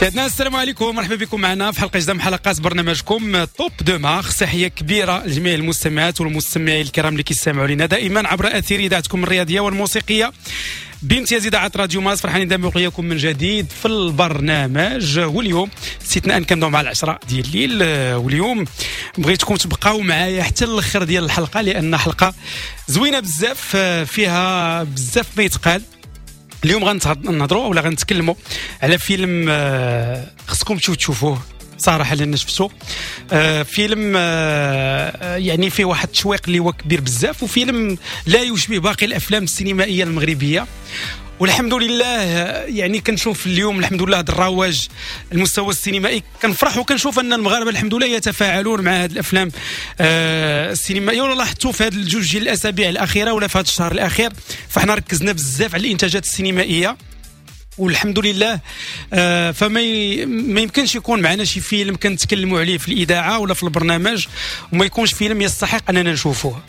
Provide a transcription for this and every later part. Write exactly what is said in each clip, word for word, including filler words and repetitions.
سيدنا السلام عليكم، مرحبا بكم معنا في حلقة جديدة من حلقات برنامجكم Top de Mars. تحية كبيرة لجميع المستمعات والمستمعين الكرام اللي كيستمعوا لنا دائما عبر اثير اذاعتكم الرياضية والموسيقيه بامتياز اذاعة راديو مارس. فرحانين دائما بلقياكم من جديد في البرنامج، واليوم استثناء كنبداو مع العشرة ديال الليل. واليوم بغيتكم تبقاو معايا حتى الاخر ديال الحلقة، لان حلقة زوينة بزاف فيها بزاف ما يتقال. اليوم غنهضروا ولا غنتكلموا على فيلم خصكم تمشيو تشوفوه صراحة، لان شفتو آه فيلم آه يعني فيه واحد التشويق اللي هو كبير بزاف، وفيلم لا يشبه باقي الافلام السينمائية المغربية. والحمد لله يعني كنشوف اليوم الحمد لله هذا الرواج المستوى السينمائي، كنفرح وكنشوف ان المغاربة الحمد لله يتفاعلون مع هذه الافلام آه السينمائية. ولا لاحظتوا في هذه الجوج ديال الاسابيع الاخيرة ولا في هذا الشهر الاخير، فاحنا ركزنا بزاف على الانتاجات السينمائية والحمد لله. آه فما ي... ما يمكنش يكون معنا شي فيلم كنتكلموا عليه في الاذاعة ولا في البرنامج وما يكونش فيلم يستحق اننا نشوفوه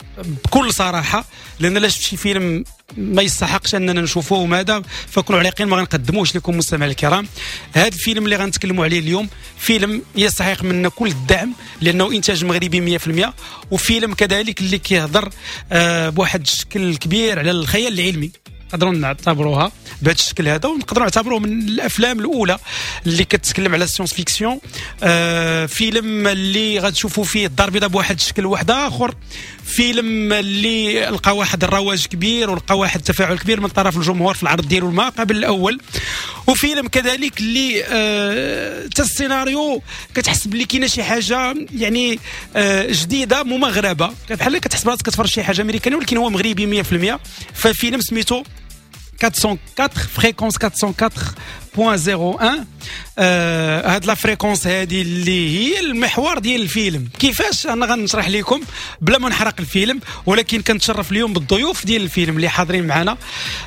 بكل صراحة، لان لا شفت شي فيلم ما يستحقش اننا نشوفوه وماذا فكونوا على يقين ما غنقدموش لكم مستمعي الكرام. هذا الفيلم اللي غنتكلموا عليه اليوم فيلم يستحق منا كل الدعم، لانه انتاج مغربي مية بالمية، وفيلم كذلك اللي كيهضر آه بواحد الشكل كبير على الخيال العلمي، نقدروا نعتبروها بهذا الشكل هذا، ونقدروا نعتبروه من الافلام الاولى اللي كتكلم على ال science-fiction. آه فيلم اللي غتشوفوا فيه الدار البيضاء بواحد الشكل واحد اخر، فيلم اللي لقى واحد الرواج كبير ولقى واحد التفاعل كبير من طرف الجمهور في العرض ديالو ما قبل الاول، وفيلم كذلك اللي آه حتى السيناريو كتحس بلي كاينه شي حاجة يعني آه جديدة ممغربه، بحال كتحس براسك كتفرج شي حاجة امريكانيه ولكن هو مغربي مية بالمية. ففيلم سميتو أربعمية وأربعة fréquence أربعمية وأربعة فاصلة صفر واحد. آه هاد la fréquence هادي اللي هي المحور ديال الفيلم. كيفاش انا غنشرح لكم بلا ما نحرق الفيلم، ولكن كنتشرف اليوم بالضيوف ديال الفيلم اللي حاضرين معنا.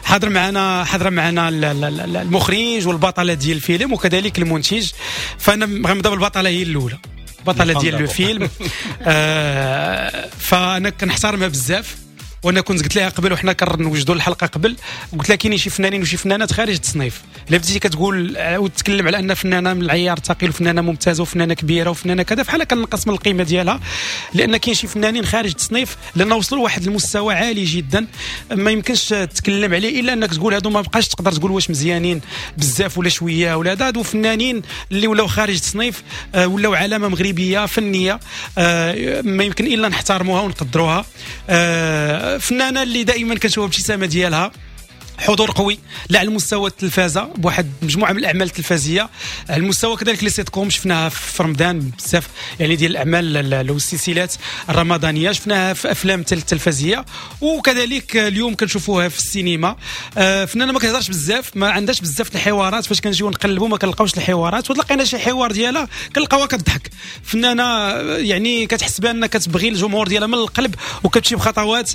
حاضر معنا حاضر معنا المخرج والبطله ديال الفيلم وكذلك المنتج. فانا غنبدا بالبطله هي الاولى، البطلة ديال الفيلم. آه فانا كنحترمها بزاف، وانا كنت قلت لها قبل وحنا كنوجدوا الحلقة قبل، قلت لها كاينين شي فنانين وشي فنانات خارج التصنيف. الا بديتي كتقول وتتكلم على ان فنانة من العيار الثقيل وفنانه ممتازة وفنانه كبيرة وفنانه كذا، فحال كنقص من القيمة ديالها، لان كاين شي فنانين خارج التصنيف لان وصلوا لواحد المستوى عالي جدا ما يمكنش تتكلم عليه الا انك تقول هادو ما بقاش تقدر تقول واش مزيانين بزاف ولا شوية ولا هذا. هادو فنانين اللي ولاو خارج التصنيف، ولاو علامة مغربية فنية ما يمكن الا نحترموها ونقدروها. فنانة اللي دائما كنشوفها الابتسامة ديالها، حضور قوي لا على المستوى التلفازه بواحد مجموعة من الاعمال التلفزيه، على المستوى كذلك les sitcoms شفناها في رمضان بزاف يعني ديال الاعمال والسلسلات الرمضانية، شفناها في افلام التلفزيه، وكذلك اليوم كنشوفوها في السينما. فنانة ما كتهضرش بزاف، ما عندهاش بزاف الحوارات، فاش كنجيو نقلبوا ما كنلقاوش الحوارات، وتلقينا شي حوار ديالها كنلقاوها كتضحك. فنانة يعني كتحس بان كتبغي الجمهور ديالها من القلب، وكتمشي بخطوات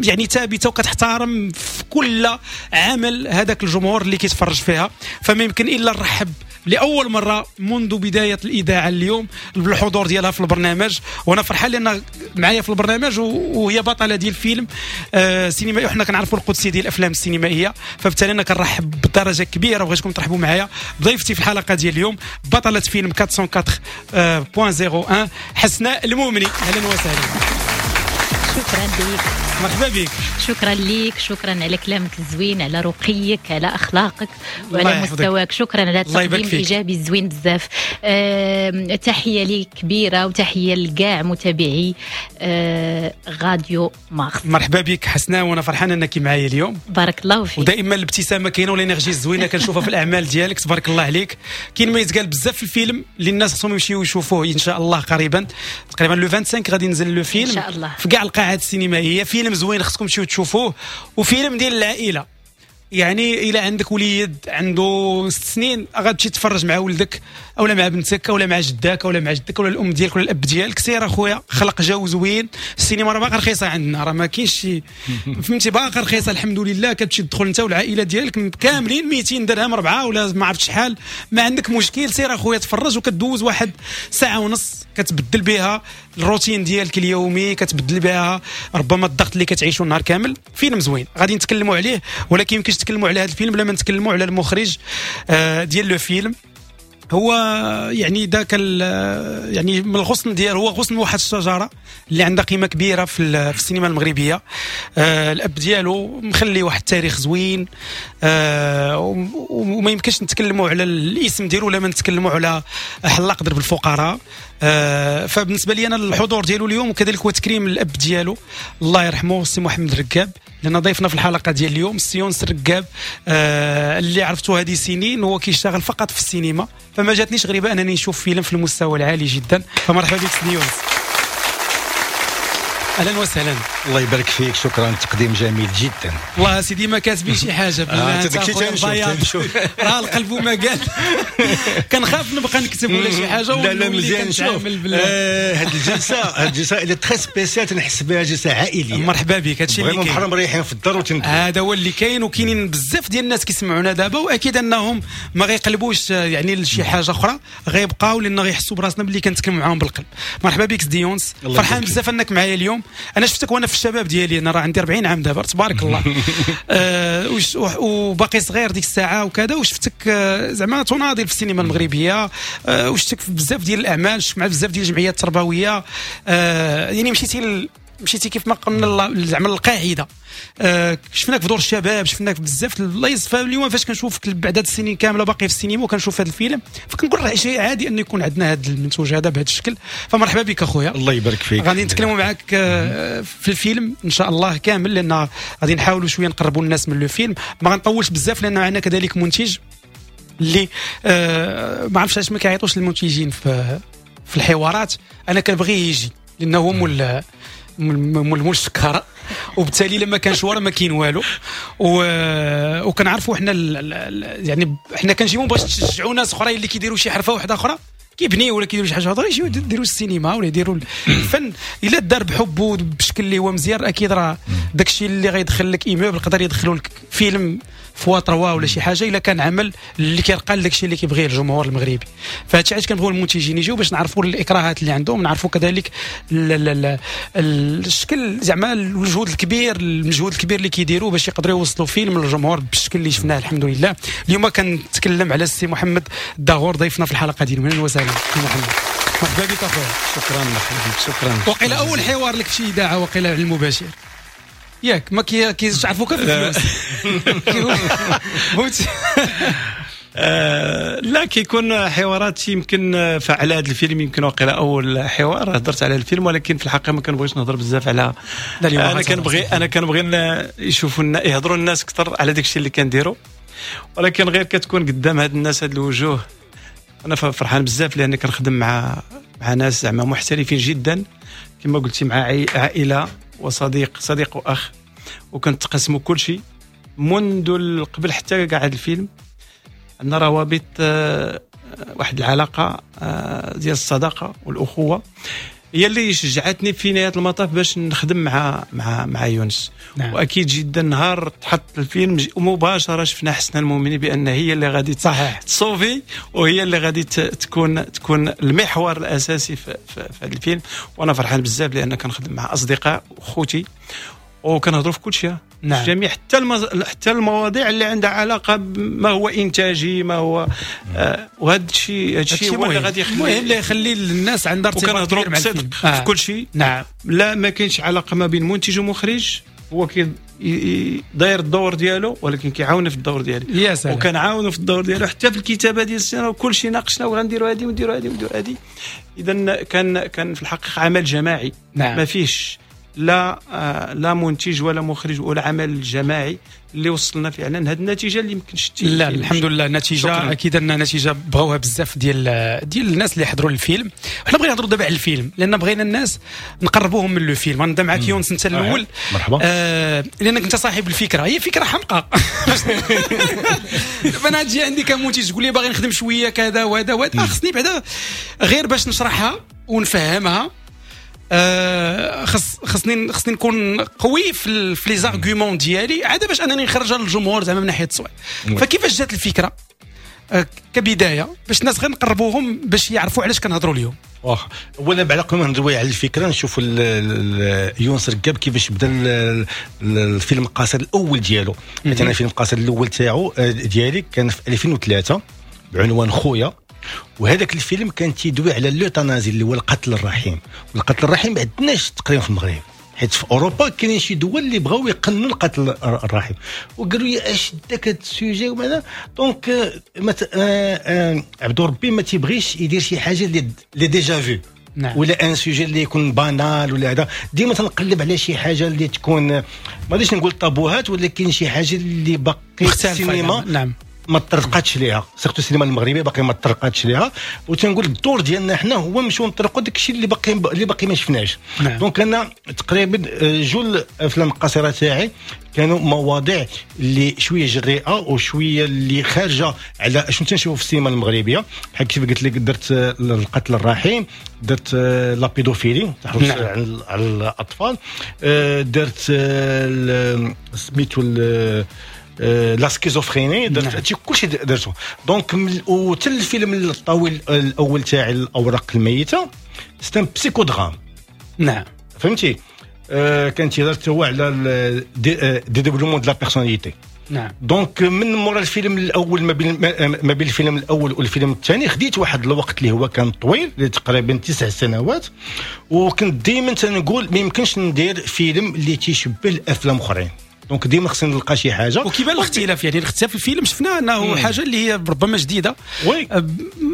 يعني ثابتة، وكتحترم في كل عمل هذاك الجمهور اللي كيتفرج فيها. فما يمكن الا نرحب لاول مرة منذ بداية الاذاعة اليوم بالحضور ديالها في البرنامج، وانا فرحان لان معايا في البرنامج وهي بطلة ديال الفيلم آه سينمائي، وحنا كنعرفوا القدسية ديال الافلام السينمائية، فبالتالي انا كنرحب بدرجة كبيرة وبغيتكم ترحبوا معايا بضيفتي في الحلقة ديال اليوم بطلة فيلم أربعمية وأربعة فاصلة صفر واحد حسناء المؤمني. اهلا وسهلا. شكرا لك، مرحبا بك. شكرا لك، شكرا على كلامك الزوين، على رقيك، على اخلاقك وعلى مستواك. شكرا على التقديم الايجابي الزوين بزاف. أه، تحية ليك كبيرة وتحية لكاع متابعي أه، راديو مارس. مرحبا بك حسناء، وانا فرحان انك معايا اليوم. بارك الله فيك. ودائما الابتسامة كاينه وال énergie الزوينة كنشوفها في الاعمال ديالك، تبارك الله عليك. كاين ما يتقال بزاف في الفيلم اللي الناس خصهم يمشيو يشوفوه ان شاء الله قريبا، تقريبا le خمسة وعشرين غادي ينزل le film ان شاء الله في كاع القاعات السينمائية. فيلم زوين خصكم تمشيو تشوفوه، وفيلم ديال العائلة، يعني الى عندك وليد عنده ست سنين غتمشي تفرج مع ولدك اولا مع بنتك اولا مع جداك اولا مع جدك اولا الام ديالك ولا الاب ديالك. سير اخويا، خلق جو زوين. السينما راه باقا رخيصة عندنا، راه ما كاينش شي فهمتي، باقا رخيصة الحمد لله. كتمشي تدخل انت والعائلة ديالك كاملين مئتين درهم ربعه ولا ما عرفت شحال، ما عندك مشكل. سير اخويا تفرج، وكدوز واحد ساعة ونص كتبدل بها الروتين ديالك اليومي، كتبدل بها ربما الضغط اللي كتعيشو النهار كامل. فيلم زوين غادي نتكلموا عليه، ولكن يمكنش نتكلموا على هذا الفيلم بلا ما نتكلموا على المخرج ديال le film. هو يعني ذاك يعني من الغصن ديالو، هو غصن واحد الشجرة اللي عندها قيمة كبيرة في في السينما المغربية. آه الاب ديالو مخلي واحد التاريخ زوين، آه وما يمكنش نتكلموا على الاسم ديالو ولا ما نتكلموا على حلاق درب الفقراء. آه فبالنسبه لي انا الحضور ديالو اليوم وكذلك هو تكريم الاب ديالو الله يرحمه السي محمد ركاب، لان ضيفنا في الحلقة ديال اليوم السي يونس ركاب، آه اللي عرفته هذه سنين هو كيشتغل فقط في السينما، فما جاتنيش غريبة انني نشوف فيلم في المستوى العالي جدا. فمرحبا بك سي يونس، اهلا وسهلا. الله يبارك فيك، شكرا، تقديم جميل جدا. والله سيدي ما كاتبين شي حاجة بالله، انت راه القلب وما قال. كنخاف نبقى نكتب ولا شي حاجة. لا لا مزيان، شوف هاد الجلسة، هاد الجلسة اللي très spéciale تنحس بها جلسه عائلية. مرحبا بك، هادشي اللي كاين، بحال مريحين في الدار وتندوي، هذا هو اللي كاين. وكاينين بزاف ديال الناس كيسمعونا دابا، واكيد انهم ما غيقلبوش يعني لشي حاجة اخرى، غيبقاو لان غيحسوا براسنا باللي كنتكلموا معاهم بالقلب. مرحبا بك سيدي يونس، فرحان بزاف انك معايا اليوم. انا شفتك وانا في الشباب ديالي، انا راه عندي أربعين عام دابا تبارك الله، آه وباقي صغير ديك الساعة وكذا، وشفتك آه زعما تناضل في السينما المغربية، آه وشفتك في بزاف ديال الاعمال، شفت مع بزاف ديال الجمعيات التربوية، آه يعني مشيتي مشيتي كيف ما قلنا زعما القاعدة. آه شفناك في دور الشباب، شفناك بزاف البلايص. فاليوم فاش كنشوفك بعد هاد السنين كاملة باقي في السينما وكنشوف هذا الفيلم، فكنقول راه شيء عادي انه يكون عندنا هذا المنتوج هذا بهذا الشكل. فمرحبا بك اخويا، الله يبارك فيك. غادي نتكلموا معاك في الفيلم ان شاء الله كامل، لان غادي نحاولوا شوية نقربوا الناس من le film. ما غنطولش بزاف لان معنا كذلك منتج اللي آه ما عرفتش علاش ما كيعيطوش للمنتجين في في الحوارات. انا كنبغي يجي لانه هو مول مول مول الشكاره، وبالتالي لما كان شواره ما كاين والو. و... وكنعرفوا حنا ال... يعني حنا كنجيبو باش تشجعوا ناس اخرين اللي كيديروا شي حرفه واحدة اخرى، كيبنيو ولا كيديروا شي حاجة اخرى، يجيو يديروا السينما ولا يديروا الفن. الا دار بحبه بشكل اللي هو مزيان، اكيد راه داكشي اللي غيدخل لك immeuble يقدر يدخلوا لك فيلم fois trois ولا شي حاجة، الا كان عمل اللي كيرقى لداكشي اللي كيبغيه الجمهور المغربي. فهادشي علاش كنبغيو المنتجين يجيو باش نعرفوا الاكراهات اللي عندهم، نعرفوا كذلك الشكل زعما المجهود الكبير المجهود الكبير اللي كيديروا باش يقدروا يوصلوا فيلم للجمهور بالشكل اللي شفناه الحمد لله. اليوم كنتكلم على السي محمد الداغور ضيفنا في الحلقة ديال اهلا وسهلا سي محمد، مرحبا بك اخويا. شكرا مرحبا بك، شكرا. وقيل اول حوار لك في شي اذاعة وقيل على المباشر ياك، ما كيعرفوك في الفلوس. لا كيكون حوارات يمكن فعلى هذا الفيلم، يمكن وقيل اول حوار هضرت على الفيلم، ولكن في الحقيقة ما كنبغيش نهضر بزاف على انا كنبغي انا كنبغي يشوفوا يهضروا الناس اكثر على داكشي اللي كنديروا، ولكن غير كتكون قدام هاد الناس هاد الوجوه. انا فرحان بزاف لان كنخدم مع مع ناس زعما محترفين جدا كما قلتي، مع عائلة وصديق صديق واخ، وكنتقسموا كل شيء منذ قبل حتى كاع هذا الفيلم. عندنا روابط، واحد العلاقة ديال الصداقة والاخوة هي اللي شجعتني في نهاية المطاف باش نخدم مع مع مع يونس. نعم. واكيد جدا نهار تحط الفيلم مباشرة شفنا حسنا المؤمني بان هي اللي غادي صحيح تصوفي، وهي اللي غادي تكون تكون المحور الاساسي في, في, في هذا الفيلم. وانا فرحان بزاف لان كنخدم مع اصدقاء وخوتي وكنهضروا في كل شيء. نعم. جميع حتى المز... حتى المواضيع اللي عندها علاقة ما هو انتاجي ما هو آه وهذا الشيء هذا الشيء هو اللي غادي يخلي المهم اللي يخلي الناس عندها ارتباط كبير مع الفيلم. آه. في كل شيء. نعم. لا ما كاينش علاقة ما بين منتج ومخرج، هو كي داير الدور ديالو ولكن كيعاون في الدور ديالي، وكنعاونو في الدور ديالو حتى في الكتابة ديال السيناريو، وكل شيء ناقشنا وغنديروا هذه ونديروا هذه ونديروا هذه. اذا كان كان في الحقيقة عمل جماعي. نعم. ما فيش لا لا منتج ولا مخرج ولا عمل جماعي اللي وصلنا فعلا هذه النتيجة اللي يمكن شتي. لا الحمد لله النتيجة اكيد ان نتيجة بغاوها بزاف ديال ديال الناس اللي حضروا الفيلم. حنا بغينا نهضروا دابا على الفيلم لان بغينا الناس نقربوهم من le film. غنبدا معاك يونس انت الاول. مرحبا. آه لانك انت صاحب الفكرة، هي فكرة حمقاء. دابا انا تجي عندي كمنتج تقول لي باغي نخدم شوية كذا وهذا وهذا، خصني بعدا غير باش نشرحها ونفهمها. آه خص خصني خصني نكون قوي في في les arguments ديالي عاد باش انني نخرجها للجمهور زعما من ناحية التصوير. فكيفاش جات الفكرة آه كبداية باش الناس غير نقربوهم باش يعرفوا علاش كنهضروا اليوم؟ واخا اولا بعد قبل ما نهضروا على الفكرة نشوفوا يونس ركاب كيفاش بدا الفيلم القصير الاول ديالو. مثلا الفيلم القصير الاول تاعو ديالي كان في ألفين وثلاثة بعنوان خويا. وهذاك الفيلم كان تيدوي على l'euthanasie اللي هو القتل الرحيم. والقتل الرحيم ما عندناش تقريبا في المغرب، حيت في اوروبا كاينين شي دول اللي بغاو يقننوا القتل الرحيم، وقالوا لي اش داك هذا ال sujet وماذا. donc عبد ربي ما تيبغيش يدير شي حاجة اللي اللي déjà vue. نعم. ولا un sujet اللي يكون banal ولا هذا. ديما تنقلب على شي حاجة اللي تكون، ما غاديش نقول طابوهات، ولكن شي حاجة اللي باقي السينما. نعم. ما طرقاتش ليها، surtout السينما المغربية باقي ما طرقاتش ليها. وتنقول الدور ديالنا حنا هو نمشيو نطرقوا داك الشيء اللي باقي اللي باقي ما شفناش. نعم. donc انا تقريبا جل الافلام القصيرة تاعي كانوا مواضيع اللي شوية جريئة وشوية اللي خارجه على شنو تنشوفوا في السينما المغربية، بحال كيف قلت لك درت القتل الرحيم، درت la pédophilie تحرش. نعم. على الاطفال، درت سميتو la schizophrénie، درت هادشي كلشي درتو. donc وحتى الفيلم الطويل الاول تاعي الاوراق الميتة c'est un psychodrame. نعم فهمتي، آه كان تيهضر هو على des développements de la personnalité. نعم. donc من مورا الفيلم الاول، ما بين ما بين الفيلم الاول والفيلم الثاني خديت واحد الوقت اللي هو كان طويل تقريبا تسع سنوات، وكنت دائما تنقول ما يمكنش ندير فيلم اللي تيشبه الافلام اخرين. donc ديما خصني نلقى شي حاجة. وكيبان الاختلاف، يعني الاختلاف في الفيلم شفنا انه حاجة اللي هي ربما جديدة، oui.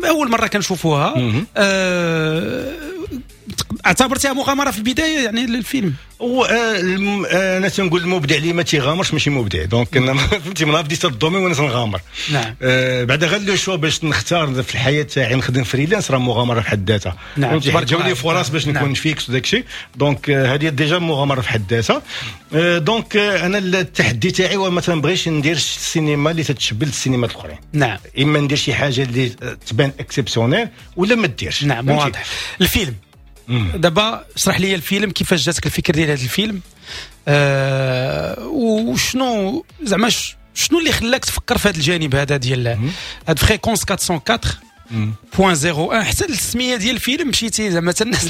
اول مرة كنشوفوها. أه اعتبرتها مغامرة في البداية يعني للفيلم؟ و انا تنقول المبدع اللي ما تيغامرش ماشي مبدع. donc انا فهمتي من بديت ال domaine وانا تنغامر. نعم. أه بعد غير le choix باش نختار في الحياة تاعي نخدم freelance راه مغامرة في حد ذاتها. نعم. فهمتي، جاوني فرص باش نكون. نعم. fixe وداك الشيء. donc هذه déjà مغامرة في حد ذاتها. أه donc انا التحدي تاعي هو ما تنبغيش ندير السينما اللي تتشبه السينما الاخرين. نعم. اما ندير شي حاجة اللي تبان exceptionnelle ولا ما ديرش. نعم واضح. الفيلم دابا اشرح لي الفيلم، كيفاش جاتك الفكرة ديال هذا الفيلم، آه وشنو زعما شنو اللي خلاك تفكر في هذا الجانب هذا ديال هاد Fréquence أربعمية وأربعة point صفر واحد؟ حتى السمية ديال الفيلم مشيتي زعما الناس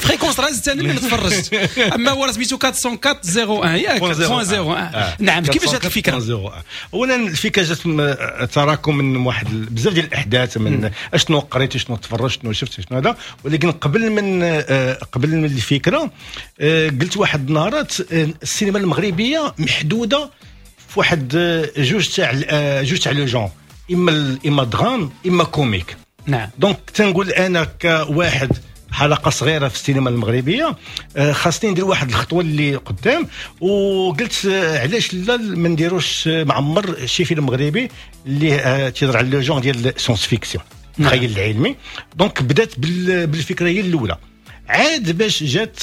Fréquence راه زدت انا اللي تفرجت، اما هو راه سميتو أربعمية وأربعة صفر واحد ياك point صفر واحد. نعم كيفاش جات الفكرة؟ اولا الفكرة جات تراكم من واحد بزاف ديال الاحداث، من اشنو قريت شنو تفرجت شنو شفت شنو هذا. ولكن قبل من قبل من الفكرة قلت واحد النهارات السينما المغربية محدودة في واحد جوج تاع جوج تاع les genres، اما اما drame اما comique. نعم. donc تنقول انا كواحد حلقة صغيرة في السينما المغربية خاصني ندير واحد الخطوة اللي قدام، وقلت علاش لا ما نديروش معمر شي فيلم مغربي اللي تيهضر على le genre ديال science-fiction، الخيال العلمي. donc بدات بالفكرة هي الاولى، عاد باش جات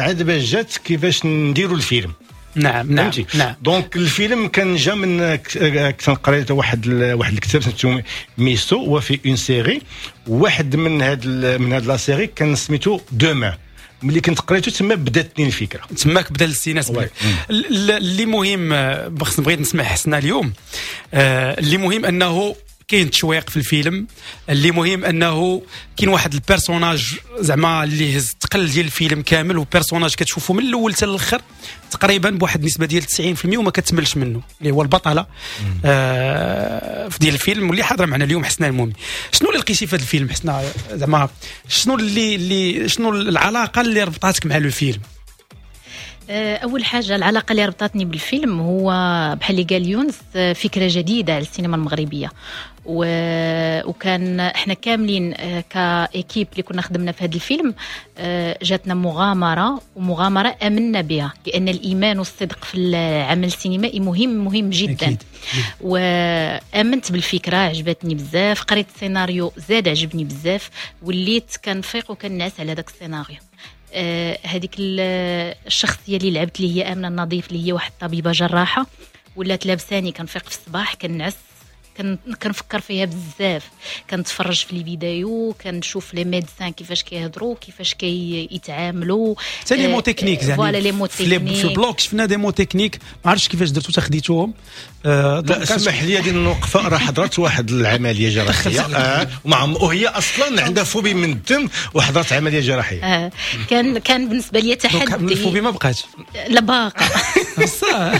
عاد باش جات كيفاش نديروا الفيلم. نعم نعم نعم. donc الفيلم كان جا من كنت قريت واحد واحد الكتاب سميتو ميسو، وفي une série واحد من هاد من هاد la série كان سميتو Demain. ملي كنت قريته تما بداتني الفكرة، تماك بدا الاستئناس. اللي مهم خص بغيت نسمع حسنا اليوم، اللي مهم انه كاين تشويق في الفيلم، اللي مهم انه كاين واحد ال personnage زعما اللي هز الثقل ديال الفيلم كامل، و personnage كتشوفه من الاول حتى الاخر تقريبا بواحد النسبة ديال تسعين بالمية وما كتملش منه، اللي هو البطلة آه في ديال الفيلم واللي حاضره معنا اليوم حسنا المومي. شنو اللي لقيتي في هذا الفيلم حسنا؟ زعما شنو اللي اللي شنو العلاقة اللي ربطاتك مع le film؟ اول حاجة العلاقة اللي ربطتني بالفيلم هو بحال اللي قال يونس، فكرة جديدة على السينما المغربية، و... وكان احنا كاملين ك équipe اللي كنا خدمنا في هذا الفيلم جاتنا مغامرة، ومغامره امنا بها، لان الايمان والصدق في العمل السينمائي مهم مهم جدا. أكيد. وامنت بالفكرة، عجبتني بزاف، قريت السيناريو زاد عجبني بزاف، وليت كنفيق وكنعس على داك السيناريو. هذيك الشخصية اللي لعبت اللي هي امنه النظيف، اللي هي واحد الطبيبة جراحه، ولات لابساني، كنفيق في الصباح كنعس كنفكر فيها بزاف، كنتفرج في les vidéos، كنشوف les médecins كيفاش كيهضروا، كيفاش كيتعاملوا، حتى les mots techniques زعما voilà les mots techniques في ال bloc شفنا des mots techniques، ما عرفتش كيفاش درتو تاخديتوهم. آه لا اسمح لي هذه الوقفة، راه حضرت واحد العملية جراحية آه ومع وهي اصلا عندها phobie من الدم وحضرت عملية جراحية. آه كان كان بالنسبة لي تحدي. ال phobie ما بقاتش؟ لا باقا بصح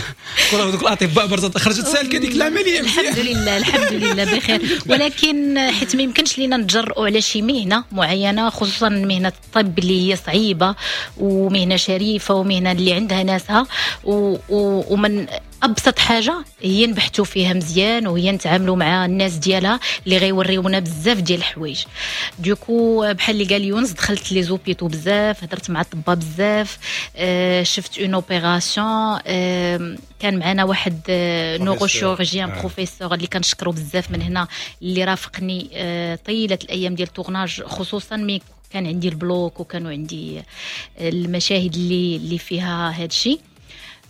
دوك دوك الاطباء برزت خرجت سالكة ديك العملية. الحمد لله الحمد لله بخير. ولكن حيت ما يمكنش لينا نتجرؤوا على شي مهنة معينة، خصوصا مهنة الطب اللي هي صعيبة ومهنه شريفه ومهنه اللي عندها ناسها، و... و... ومن ابسط حاجة هي نبحثوا فيها مزيان وهي نتعاملوا مع الناس ديالها اللي غيوريونا بزاف ديال الحوايج. du coup بحال اللي قال يونس، دخلت les hôpitaux بزاف، هضرت مع الطبا بزاف، آه شفت une opération، آه كان معنا واحد neurochirurgien professeur اللي كنشكرو بزاف من هنا، اللي رافقني آه طيلة الايام ديال ال tournage، خصوصا مي كان عندي ال bloc وكانوا عندي المشاهد اللي اللي فيها هذا الشيء.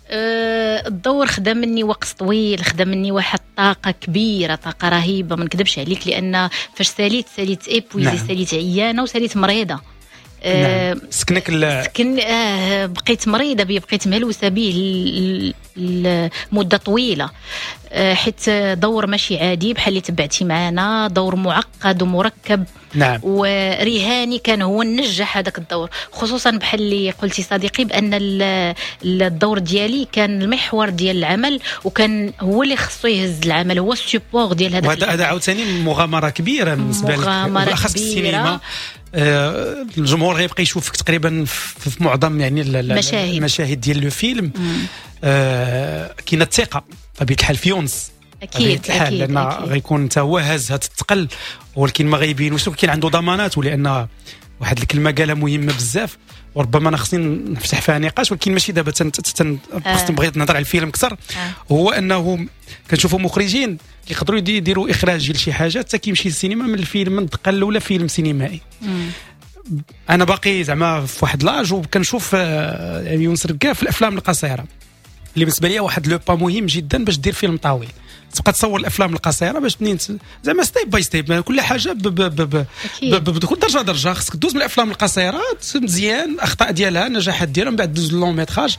الدور خدا مني وقت طويل، خدا مني واحد الطاقة كبيرة، طاقة رهيبة ما نكذبش عليك، لان فاش ساليت ساليت épuisée، نعم. ساليت عيانه وساليت مريضه. نعم. سكنك ال... سكن آه بقيت مريضه بيه، بقيت مهلوسه به لمدة طويلة، آه حيت دور ماشي عادي بحال اللي تبعتي معانا، دور معقد ومركب. نعم. ورهاني كان هو نجح هذاك الدور، خصوصا بحال اللي قلتي صديقي بان الدور ديالي كان المحور ديال العمل، وكان هو اللي خصو يهز العمل، هو ال support ديال هذا. وهذا هذا عاوتاني مغامرة كبيرة بالنسبة لك، بالاخص في السينما. آه الجمهور غيبقى يشوفك تقريبا في معظم يعني المشاهد المشاهد ديال le film. آه كاينه الثقة بطبيعة الحال في يونس، اكيد الحال لان غيكون حتى هو هاز هاد الثقل، ولكن ما غيبينوش، ولكن عنده ضمانات، ولان واحد الكلمة قالها مهمة بزاف وربما انا خصني نفتح فيها نقاش، ولكن ماشي دابا تن تن آه. بغيت نهضر على الفيلم اكثر. آه. هو انه كنشوفوا مخرجين كيقدروا يديروا اخراج لشي حاجة حتى كيمشي للسينما من الفيلم من الدقة الاولى فيلم سينمائي. مم. انا باقي زعما في واحد l'âge وكنشوف يونس ركاف في الافلام القصيرة اللي بالنسبة لي واحد le pas مهم جدا باش دير فيلم طويل، تبقى تصور الافلام القصيرة باش منين زعما step by step، كل حاجة ب ب ب ب درجه درجه، خصك دوز من الافلام القصيرة مزيان، الاخطاء ديالها النجاحات ديالها، من بعد دوز long métrage.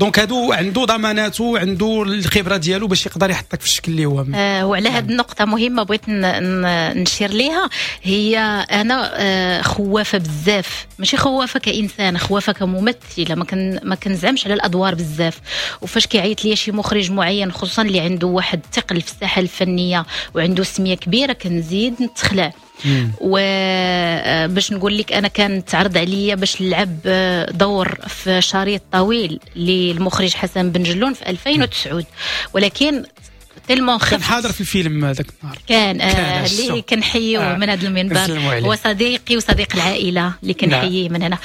donc هادو عنده ضماناته، عنده الخبرة ديالو باش يقدر يحطك في الشكل اللي هو. آه وعلى هذه النقطة مهمة بغيت نشير ليها، هي انا آه خوافه بزاف، ماشي خوافه كانسان، خوافه كممثله، ما كن ما كنزعمش على الادوار بزاف. وفاش كيعيط ليا شي مخرج معين خصوصا اللي عنده واحد الثقل في الساحة الفنية وعنده سميه كبيرة، كنزيد نتخلع. وباش نقول لك انا كان تعرض عليا باش نلعب دور في شريط طويل للمخرج حسن بن جلون في ألفين وتسعة، ولكن tellement كان حاضر في الفيلم هذاك النهار، كان, آه اللي كنحييه آه من هذا المنبر، هو صديقي وصديق العائلة اللي كنحييه من هنا.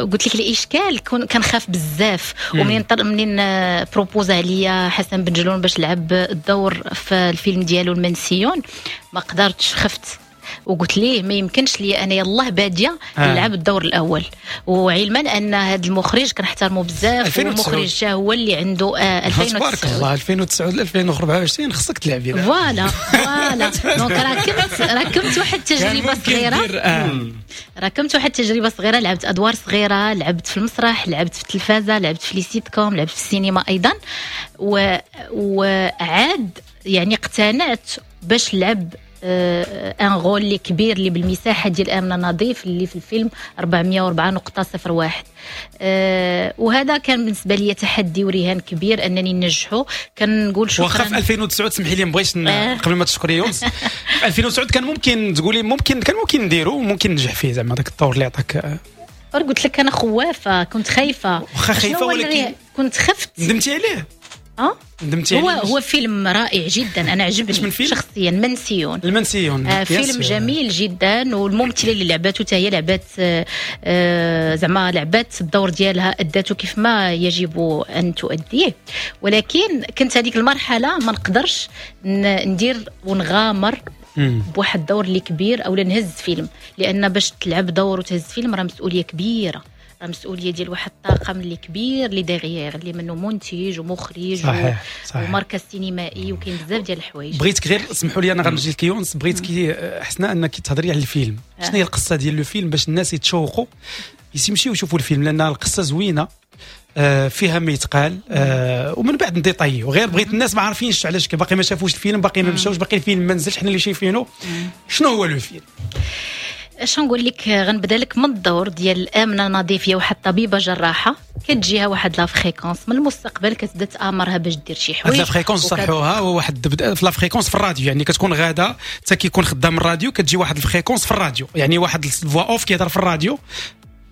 قلت لك الاشكال كنخاف بزاف، ومنين منين proposa عليا حسن بن جلون باش لعب الدور في الفيلم ديالو المنسيون، ما قدرتش، خفت وقلت ليه ما يمكنش لي انا يلاه باديه آه. نلعب الدور الاول، وعلما ان هذا المخرج كنحترمه بزاف، والمخرج هو اللي عنده آه ألفين وتسعة. تبارك الله ألفين وتسعة ألفين وأربعة وعشرين خصك تلعبي. voilà voilà donc راكمت راكمت واحد التجربة صغيرة، آه. راكمت واحد التجربة صغيرة، لعبت ادوار صغيرة، لعبت في المسرح، لعبت في التلفازه، لعبت في les sitcoms، لعبت في السينما ايضا، و... وعاد يعني اقتنعت باش نلعب un rôle اللي كبير اللي بالمساحه ديال امنه نظيف اللي في الفيلم أربعمية وأربعة نقطة صفر واحد. أه وهذا كان بالنسبة لي تحدي ورهان كبير انني ننجحه. كنقول شكرا. واخا في ألفين وتسعة سمحي لي ما بغيتش آه. قبل ما تشكري يونس، في ألفين وتسعة كان ممكن تقولي ممكن كان ممكن نديرو ممكن ننجح فيه زعما داك الطور اللي عطاك. قلت لك انا خوافه، كنت خايفة. واخا خايفة ولكن كنت خفت. ندمتي عليه؟ اه ندمتي هو هو فيلم رائع جدا، انا عجبني شخصيا. منسيون. المنسيون آه فيلم جميل جدا، والممثله اللي لعبته حتى هي لعبات آه زعما لعبات الدور ديالها، ادته كيف ما يجب ان تؤديه. ولكن كنت هذيك المرحلة ما نقدرش ندير ونغامر بواحد الدور اللي كبير او نهز فيلم، لان باش تلعب دور وتهز فيلم راه مسؤولية كبيرة، مسؤولية ديال واحد الطاقم اللي كبير اللي derrière اللي منه منتج ومخرج. صحيح. صحيح. ومركز سينمائي، وكاين بزاف ديال الحوايج. بغيتك غير اسمحوا لي انا غنجي لك يونس، بغيتك حسنا انك تهضري على الفيلم. آه. شنو هي القصة ديال le film باش الناس يتشوقوا يمشيو يشوفوا الفيلم، لان القصة زوينة فيها ما يتقال، آه ومن بعد نديطايو. غير بغيت الناس ما عارفينش علاش باقي ما شافوش الفيلم، باقي ما مشاوش، باقي الفيلم ما نزلش، حنا اللي شايفينه. شنو هو le film؟ اش نقول لك، غنبدا لك من الدور ديال امنه نظيف، هي واحد الطبيبة جراحه كتجيها واحد la fréquence من المستقبل، كتبدا تامرها باش دير شي حوايج. la fréquence صحوها هو واحد في la fréquence في الراديو، يعني كتكون غاده حتى كيكون خدام الراديو كتجي واحد ال fréquence في الراديو، يعني واحد ال voix off كيهضر في الراديو.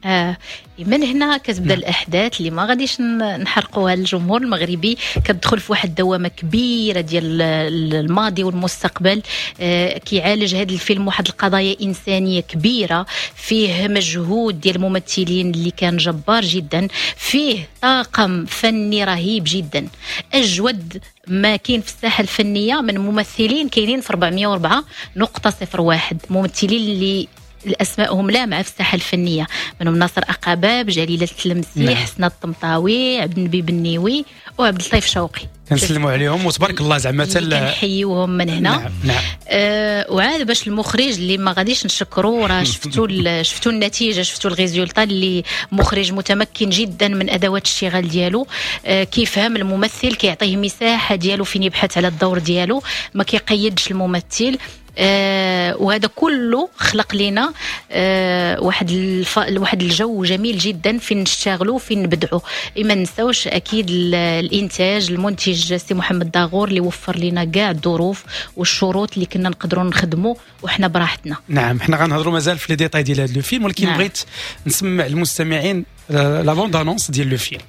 آه من هنا كتبدا نعم. الاحداث اللي ما غاديش نحرقوها للجمهور المغربي، كتدخل في واحد الدوامة كبيرة ديال الماضي والمستقبل. آه كيعالج هذا الفيلم واحد القضايا انسانيه كبيرة، فيه مجهود ديال الممثلين اللي كان جبار جدا، فيه طاقم فني رهيب جدا، اجود ما كاين في الساحة الفنية من ممثلين كاينين في أربعمية وأربعة نقطة صفر واحد، ممثلين اللي الاسماءهم لامعة في الساحة الفنية، منهم ناصر اقاباب، جليلة التلمسي، نعم. حسنه الطمطاوي، عبد النبي بنيوي، وعبد اللطيف شوقي. كنسلموا عليهم وتبارك الله زعما حتى كنحيوهم من هنا. نعم. نعم. آه وعاد باش المخرج اللي ما غاديش نشكرو، راه شفتوا شفتوا النتيجة، شفتوا ال résultat، اللي مخرج متمكن جدا من ادوات الاشتغال ديالو، آه كيفهم الممثل، كيعطيه مساحة ديالو فين يبحث على الدور ديالو، ما كيقيدش الممثل. آه وهذا كله خلق لنا آه واحد الف... واحد الجو جميل جدا فين نشتغلوا فين نبدعوا. ما ننساوش اكيد الانتاج، المنتج سي محمد داغور اللي وفر لنا كاع الظروف والشروط اللي كنا نقدروا نخدموا وحنا براحتنا. نعم، حنا غنهضروا مازال في les détails ديال هذا le film، ولكن نعم. بغيت نسمع المستمعين la bande-annonce ديال le film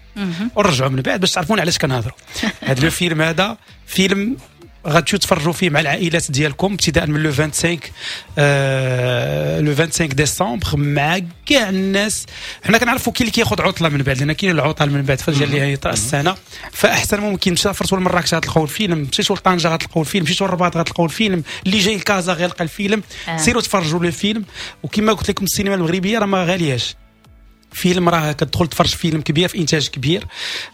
ونرجعوا من بعد باش تعرفون علاش كنهضروا. هذا le film هذا فيلم غتمشيو تفرجوا فيه مع العائلات ديالكم ابتداء من le خمسة وعشرين آه le خمسة وعشرين ديسمبر مع كاع الناس. حنا كنعرفوا كاين اللي كياخذ عطله من بعد، لان كاين العطل من بعد فديال نهاية السنة، فاحسن ممكن مسافرتوا لمراكش غتلقاو الفيلم، مشيتوا لطنجه غتلقاو الفيلم، مشيتوا للرباط غتلقاو الفيلم، اللي جاي لكازا غيلقى الفيلم. آه. سيروا تفرجوا le film. وكما قلت لكم السينما المغربية راه ما غالياش، فيلم راه كتدخل تفرج فيلم كبير في انتاج كبير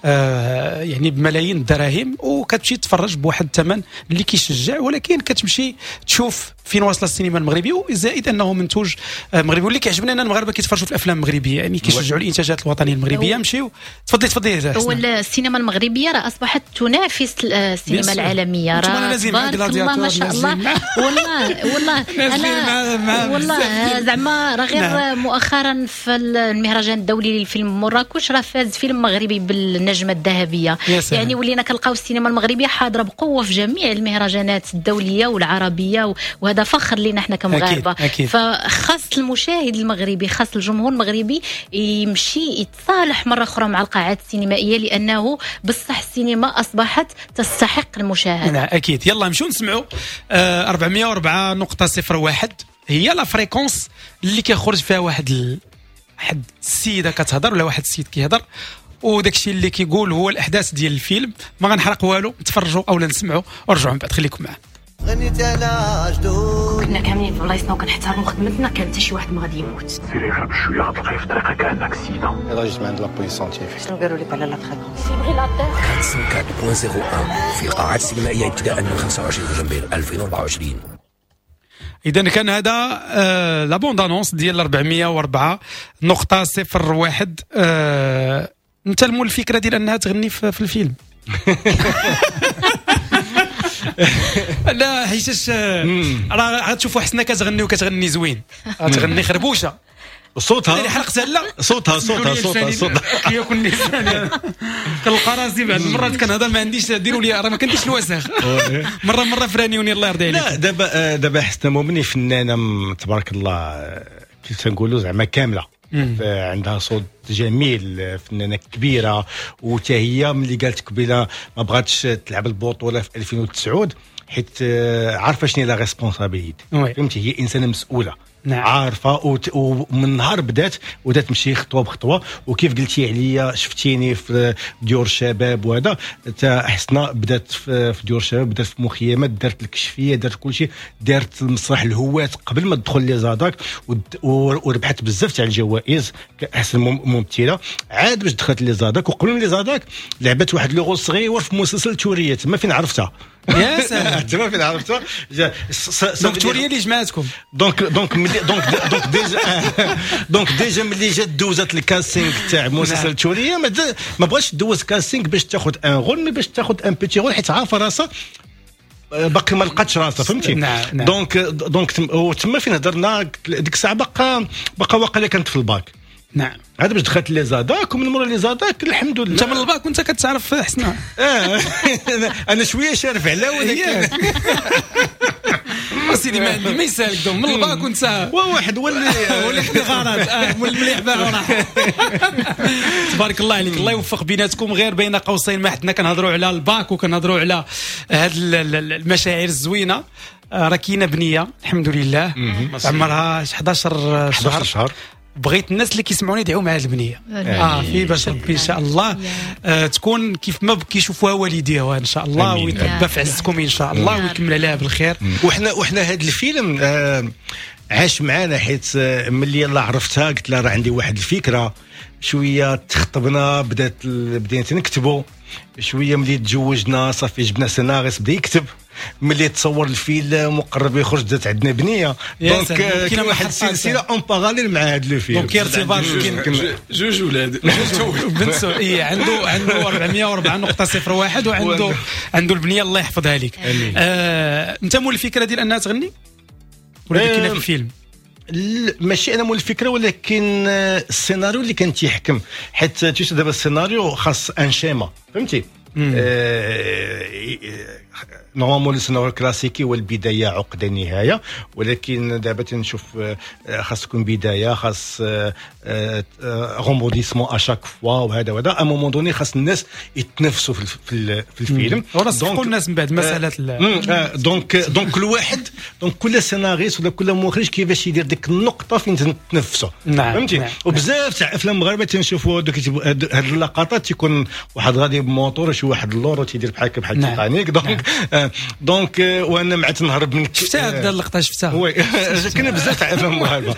آه يعني بملايين الدراهم، وكتمشي تفرج بواحد الثمن اللي كيشجع، ولكن كتمشي تشوف فين واصله السينما المغربية، وزائد انه منتوج مغربي. واللي كيعجبنا ان المغاربة كيتفرجوا في الافلام المغربية، يعني كيشجعوا الانتاجات الوطنية المغربية. مشيو تفضلي تفضلي. هو السينما المغربية راه اصبحت تنافس السينما العالمية، راه تبارك الله ما شاء الله. والله والله انا والله زعما راه غير مؤخرا في المهرجان الدولي للفيلم مراكش راه فاز فيلم مغربي بالنجمه الذهبية. يعني ولينا كنلقاو السينما المغربية حاضره بقوة في جميع المهرجانات الدولية والعربية، وهذا فخر لنا احنا كمغاربه. فخاص المشاهد المغربي، خاص الجمهور المغربي يمشي يتصالح مرة اخرى مع القاعات السينمائية، لانه بصح السينما اصبحت تستحق المشاهدة. نعم اكيد. يلا نمشيو نسمعوا آه أربعمية وأربعة نقطة صفر واحد هي la fréquence اللي كيخرج فيها واحد ال... واحد السيدة كتهضر ولا واحد السيد كيهضر، وداك الشيء اللي كيقول هو الاحداث ديال الفيلم. ما غنحرق والو، نتفرجوا اولا نسمعوا ورجعوا من بعد، خليكم معنا. غنيت على جدود كنا كاملين في بلايصنا وكنحترموا خدمتنا، كان حتى شي واحد ما غادي يموت. سيري غير بشوية غتلقاي في طريقك عندك سيده. يلاه جيت من عند la police scientifique. شنو قالوا لك على la fréquence؟ أربعمية وأربعة فاصلة صفر واحد في القاعات السينمائية ابتداء من خمسة وعشرين دجنبر ألفين وأربعة وعشرين. اذا كان هذا آه la bande-annonce ديال أربعمية وأربعة نقطة صفر واحد. آه انت المول الفكرة ديال انها تغني في, في الفيلم؟ لا حيتاش راه غتشوفوا حسنا كتغني وكتغني زوين، غتغني خربوشه صوتها حلقتها لا صوتها صوتها صوتها صوتها كياكل لساني، كنلقى راسي بعض المرات كنهضر ما عنديش، ديروا لي راه ما كنديرش الوسخ مرة مرة فرانيوني الله يرضي عليك. لا دابا دابا حسنا مومني فنانة تبارك الله، كيف تنقولوا زعما كاملة، عندها صوت جميل، فنانة كبيرة. وتا هي ملي قالت قبيلة ما بغاتش تلعب البطولة في ألفين وتسعة حيت عارفه شنو la responsabilité، فهمتي؟ هي انسانه مسؤولة. نعم. عارفه وت... ومن نهار بدات وبدات تمشي خطوة بخطوة. وكيف قلتي عليا شفتيني في ديور الشباب وهذا، حتى حسنا بدات في ديور الشباب، بدات في مخيمات، دارت الكشفيه، دارت كل شيء، دارت المسرح الهوات قبل ما تدخل les ADAC، وربحت بزاف تاع الجوائز كاحسن ممثلة. عاد باش دخلت les ADAC، وقبل من les ADAC لعبت واحد le rôle صغير في مسلسل توريه، تما فين عرفتها. يا سلام، تما فين عرفتها. donc توريه اللي جمعتكم. donc donc donc donc déjà donc déjà ملي جات دوزات ال casting تاع مسلسل توريه، ما بغاش دوز casting باش تاخذ un rôle، mais باش تاخذ un petit rôle، حيت عارفه راسها باقي ما لقاتش راسها، فهمتي؟ نعم نعم. donc donc وتما فين هضرنا ديك الساعة، باقا باقا واقيلا كانت في الباك. نعم. هذا باش دخلت les ADAC، ومن مورا les ADAC الحمد لله. انت من الباك وانت كتعرف حسنا؟ اه انا شوية شارف على، ولكن سيدي ما عندي ما يسالك. من الباك وانت واحد هو اللي هو اللي خدي غرض اه المليح باع وراح. تبارك الله عليك، الله يوفق بيناتكم. غير بين قوسين ما حدنا كنهضروا على الباك وكنهضروا على هاد المشاعر الزوينة، راه كاينه بنيه الحمد لله عمرها حداشر شهر. شهر. بغيت الناس اللي كيسمعوني يدعوا مع هذه البنية اه في باش ربي ان شاء الله آه تكون كيف ما كيشوفوها والديها ان شاء الله، ويتربى في عزكم ان شاء الله ويكمل عليها بالخير. وحنا وحنا هذا الفيلم آه عاش معنا، حيت ملي يلاه عرفتها قلت لها راه عندي واحد الفكرة، شوية تخطبنا، بدات بدينا نكتبوا شوية، ملي تزوجنا صافي جبنا سيناريست بدا يكتب، ملي تصور الفيلم وقرب يخرج بدات عندنا بنيه. donc كاين واحد السلسلة en parallèle مع هذا le film. donc ارتباط جوج ولاد بنت، اي عنده عنده أربعمية وأربعة نقطة صفر واحد وعنده عنده البنية الله يحفظها لك. آه، انت مول الفكرة ديال انها تغني ولا كاينه في الفيلم؟ ماشي انا مول الفكرة، ولكن السيناريو اللي كان تيحكم، حيت تيش دابا السيناريو خاص un schéma، فهمتي؟ normalement السيناريو الكلاسيكي هو البداية عقده النهاية، ولكن دابا تنشوف خاص تكون بداية، خاص rebondissement à chaque fois وهذا وهذا. à un moment donné خاص الناس يتنفسوا في في الفيلم، donc الناس من بعد مسالة. donc donc كل واحد، donc كل سيناريست ولا كل مخرج كيفاش يدير ديك النقطة فين تنفسوا، فهمتي؟ نعم. وبزاف تاع افلام المغاربة تنشوفوا دوك هاد اللقطات، تيكون واحد غادي بموتور شي واحد اللور تيدير بحال بحال تيتانيك. donc donc وانا مع تنهرب من شفتها هاد اللقطة، شفتها oui كاين بزاف تاع افلام المغاربة.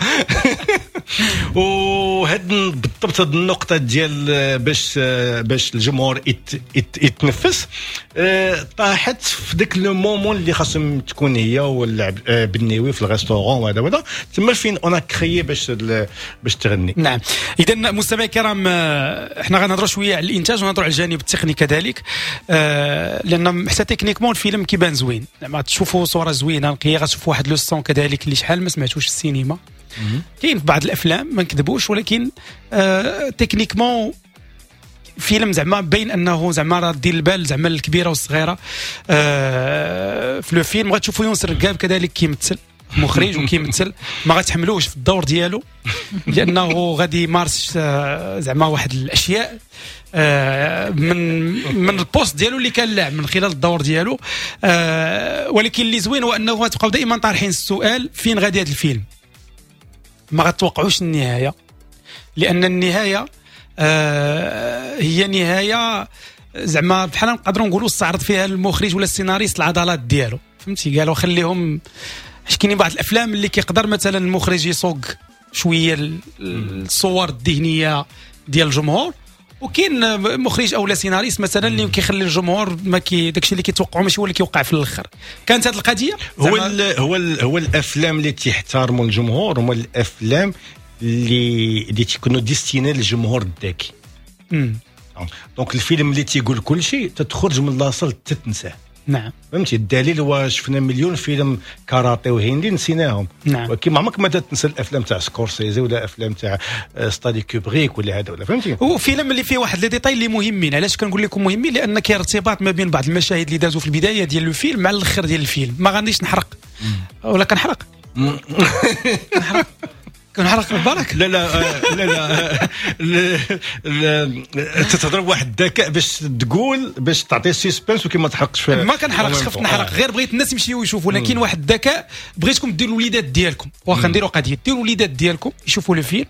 وهاد بالضبط هاد النقطة ديال باش باش الجمهور يتنفس طاحت في داك le moment اللي خاصهم تكون هي واللعب بالنيوي في ال restaurant وهذا وهذا، تما فين on a créé باش باش تغني. نعم. اذا مستمعي الكرام، احنا غنهضروا شوية على الانتاج ونهضروا على الجانب التقني كذلك، لان حتى techniquement الفيلم كيبان زوين، زعما تشوفوا صوره زوينة نقية، غتشوفوا واحد le son كذلك اللي شحال ما سمعتوش في السينما. كاين في بعض الافلام ما نكذبوش، ولكن آه techniquement فيلم زعما باين انه زعما راه دير البال زعما الكبيرة والصغيرة آه في le film. غتشوفوا يونس الرقاب كذلك كيمثل مخرج وكيمثل، ما غتحملوش في الدور ديالو لانه غادي يمارس زعما واحد الاشياء من من ال poste ديالو اللي كان لاعب من خلال الدور ديالو. ولكن اللي زوين هو انه غتبقاو دائما طارحين السؤال فين غادي هذا الفيلم، ما غتوقعوش النهاية، لان النهاية هي نهاية زعما بحال نقدروا نقولوا استعرض فيها المخرج ولا السيناريست العضلات ديالو، فهمتي؟ قالوا خليهم، حيت كاينين بعض الافلام اللي كيقدر مثلا المخرج يسوق شوية الصور الذهنية ديال الجمهور، وكاين مخرج او لا سيناريست مثلا اللي كيخلي الجمهور ما كي داكشي اللي كيتوقعوا ماشي هو اللي كيوقع في الاخر. كانت هذه القضية هو ال هو ال هو الافلام اللي تيحترموا الجمهور هما الافلام اللي اللي تيكونوا destinés للجمهور الذكي. donc الفيلم اللي تيقول كل شيء تتخرج من la salle تتنساه. نعم، فهمتي؟ الدليل هو شفنا مليون فيلم كاراتي وهندي نسيناهم. نعم. ولكن ما عمرك ما تنسى الافلام تاع سكورسيزي ولا افلام تاع ستانلي كوبريك ولا هذا ولا، فهمتي؟ هو فيلم اللي فيه واحد les détails اللي مهمين. علاش كنقول لكم مهمين؟ لان كاين ارتباط ما بين بعض المشاهد اللي دازوا في البداية ديال الفيلم مع الاخر ديال الفيلم. ما غاديش نحرق ولا كنحرق؟ كنحرق كنحرق بالك؟ لا لا لا لا، تتهضر بواحد الذكاء باش تقول باش تعطي suspense وكي ما تحرقش فيها. ما كنحرقش، خفت نحرق، غير بغيت الناس يمشيو يشوفوا. لكن واحد الذكاء بغيتكم ديروا الوليدات ديالكم، واخا نديروا قضية ديروا الوليدات ديالكم يشوفوا le film،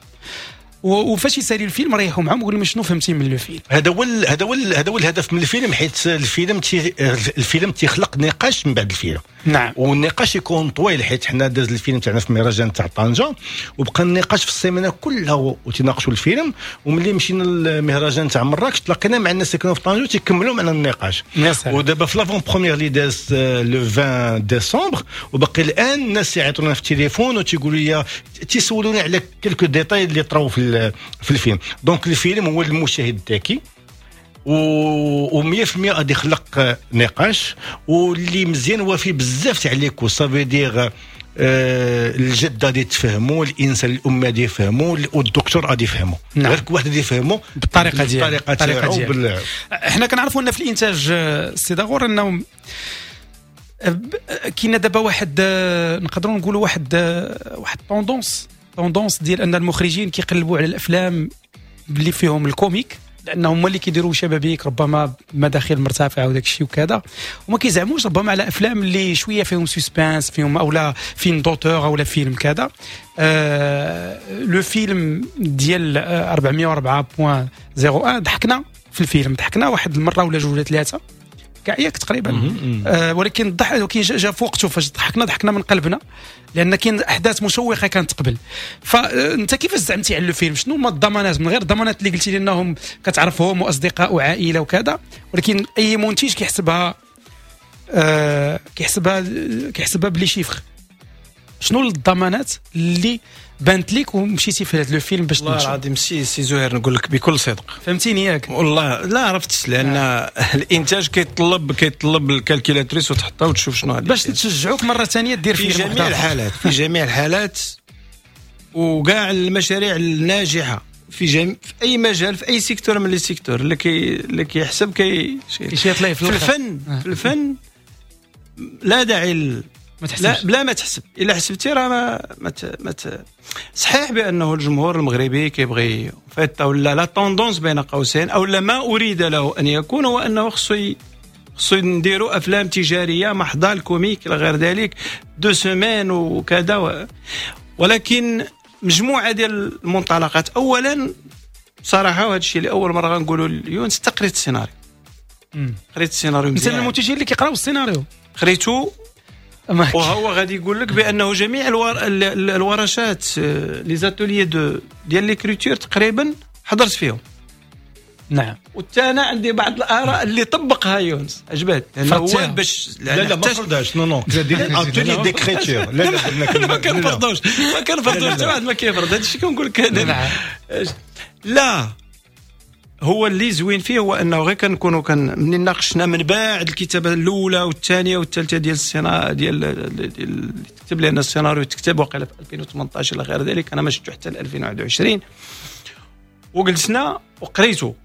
وفاش يسالي الفيلم ريحوا معاهم وقول لهم شنو فهمتي من le film. هذا هو هذا هو هذا هو الهدف من الفيلم، حيت الفيلم تي الفيلم تيخلق نقاش من بعد الفيلم. نعم. والنقاش يكون طويل، حيت حنا داز الفيلم تاعنا في مهرجان تاع طنجه وبقى النقاش في السيمانة كلها وتناقشوا الفيلم، وملي مشينا للمهرجان تاع مراكش تلاقينا مع الناس اللي كانوا في طنجه وتيكملوا معنا النقاش. ودابا في l'avant-première اللي داز le عشرين ديسمبر، وباقي الان الناس يعيطونا في التليفون وتيقولوا لي تيسولوني على quelques détails اللي طراو في في الفيلم. donc الفيلم هو المشاهد الذكي و مية في المية غادي يخلق نقاش، واللي مزيان هو فيه بزاف تاع les couches، ça veut dire الجدة غادي تفهموا، الانسان الام غادي يفهموا، والدكتور غادي يفهموا. نعم. غير واحد غادي يفهموا بالطريقة ديالو، بالطريقة ديالو. احنا كنعرفوا ان في الانتاج السي داغور انه كاين دابا واحد، نقدروا نقولوا واحد واحد tendance tendance ديال ان المخرجين كيقلبوا على الافلام اللي فيهم ال comique، لان هما اللي كيديروا شبابيك ربما مداخل مرتفعة وداك الشيء وكذا، وما كيزعموش ربما على افلام اللي شوية فيهم suspense، فيهم اولا film d'auteur اولا فيلم كذا. آه le film ديال أربعمية وأربعة فاصلة صفر واحد ضحكنا في الفيلم، ضحكنا واحد المرة ولا جوج ولا ثلاثة كاع ياك تقريبا. آه ولكن الضحك ولكن جا في وقته، فاش ضحكنا ضحكنا من قلبنا، لان كاين احداث مشوقة كانت قبل. فانت كيفاش زعمتي على الفيلم؟ شنو هما الضمانات من غير الضمانات اللي قلتي لي انهم كتعرفهم واصدقاء وعائلة وكذا، ولكن اي منتج كيحسبها آه كيحسبها كيحسبها ب les chiffres. شنو الضمانات اللي بانت لك ومشيتي في هذا الفيلم باش والله العظيم سي سي زهير نقول لك بكل صدق، فهمتيني ياك؟ والله لا عرفت، لان آه. الانتاج كيطلب كيطلب ال calculatrice وتحطها وتشوف شنو غادي باش تشجعوك مرة ثانية دير في جميع الحالات، في جميع الحالات وكاع المشاريع الناجحة في جميع في اي مجال في اي secteur من les secteurs اللي كي اللي كيحسب كي كيشيط ليه في الفن. آه. في الفن لا داعي ما لا بلا ما تحسب، الا حسبتي راه ما ما, ت... ما ت... صحيح بانه الجمهور المغربي كيبغي فيت ولا la tendance بين قوسين او لا ما اريد له ان يكون هو انه خصو ي... خصو نديروا افلام تجارية محضة ال comique الى غير ذلك deux semaines وكذا و... ولكن مجموعة ديال المنطلقات. اولا بصراحة وهذا الشيء اللي اول مرة غنقولوا ليونس، قريت السيناريو، قريت السيناريو مزيان. انت المنتجين اللي كيقراو السيناريو قريتو، وهو غادي يقول لك بانه جميع الور... الورشات les ateliers de ديال l'écriture تقريبا حضرت فيهم. نعم. وحتى انا عندي بعض الاراء اللي طبقها يونس عجبت، لانه هو باش لا لا ما فرضاش non non atelier d'écriture، لا لا ما كنفرضوش ما كنفرضوش حتى واحد ما كيفرض هادشي كنقول لك. لا هو اللي زوين فيه هو انه غير كنكونوا كان منين ناقشنا من بعد الكتابة الاولى والثانية والثالثة ديال السيناريو ديال ديال تكتب لنا السيناريو تكتب وقيله في ألفين وثمنطاش الى غير ذلك، انا ما شفتو حتى ألفين وواحد وعشرين، وجلسنا وقريته.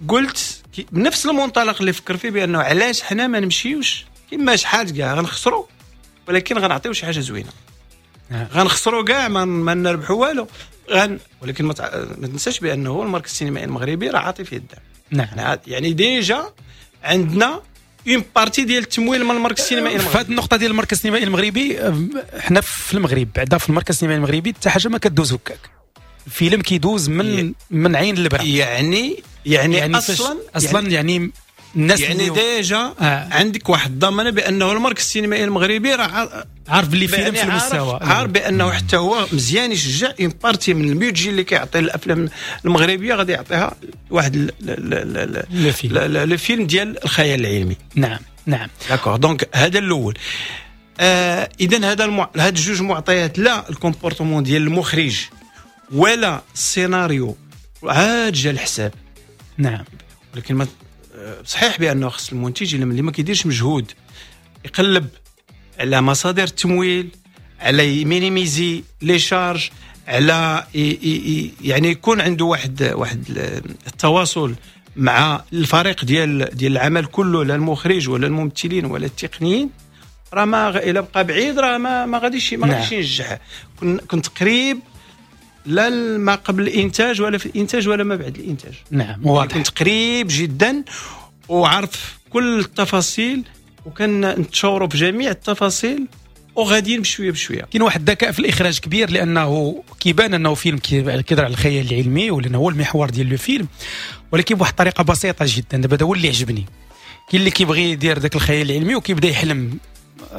قلت بنفس المنطلق اللي فكر فيه بانه علاش حنا ما نمشيوش كما شحال كاع غنخسروا ولكن غنعطيو شي حاجة زوينة، غنخسروا كاع ما, ما نربحوا والو غن ولكن ما, تع... ما تنساش بانه المركز السينمائي المغربي راه عاطي فيه الدعم. نعم. يعني déjà عندنا une partie ديال التمويل من المركز السينمائي المغربي. في هذه النقطة ديال المركز السينمائي المغربي، حنا في المغرب بعدا في المركز السينمائي المغربي حتى حاجة ما كدوز هكاك، الفيلم كيدوز من من عين البرا. يعني يعني, يعني اصلا اصلا يعني, يعني الناس يعني déjà آه. عندك واحد الضمانة بانه المركز السينمائي المغربي راه عارف باللي فيلم في المستوى، عارف بانه حتى هو مزيان يشجع une partie من ال budget اللي كيعطي الافلام المغربية غادي يعطيها واحد le film ديال الخيال العلمي. نعم نعم d'accord. donc هذا الاول. آه اذا هذا المع... هاد جوج معطيات، لا ال comportement ديال المخرج ولا السيناريو عاد جا الحساب. نعم. ولكن ما صحيح بانه خص المنتج اللي ما كيديرش مجهود يقلب على مصادر التمويل، على minimiser les charges، على يعني يكون عنده واحد واحد التواصل مع الفريق ديال ديال العمل كله، لا المخرج ولا الممثلين ولا التقنيين، راه ما الا بقى بعيد راه ما ما غاديش ما غاديش ينجح. كنت قريب لا ما قبل الانتاج ولا في الانتاج ولا ما بعد الانتاج. نعم واضح. كنت قريب جدا وعارف كل التفاصيل وكان نتشاوروا في جميع التفاصيل وغاديين بشوية بشوية. كاين واحد الذكاء في الاخراج كبير، لانه كيبان انه فيلم كيهضر على الخيال العلمي ولانه هو المحور ديال le film، ولكن بواحد الطريقة بسيطة جدا. دابا هذا هو اللي عجبني. كاين اللي كيبغي يدير ذاك الخيال العلمي وكيبدا يحلم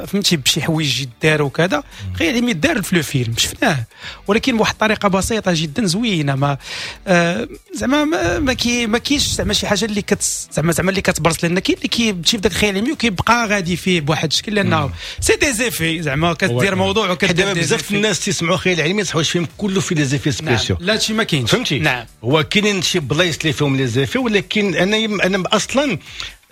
فهمتي بشي حوايج يداروا وكذا، خيال علمي دار في le film شفناه، ولكن بواحد الطريقة بسيطة جدا زوينة. ما آه زعما ما كي ما كاينش زعما شي حاجة اللي كت زعما زعما اللي كتبرز، لان كاين اللي كيمشي في داك الخيال العلمي وكيبقى غادي فيه بواحد الشكل، لانه c'est des effets زعما كدير موضوع وكدير. بزاف الناس تيسمعوا خيال علمي صحوا الفيلم كله فيه les effets spéciaux. لا هادشي ما كاينش، فهمتي؟ نعم، هو كاينين شي بلايص اللي فيهم les effets، ولكن انا انا اصلا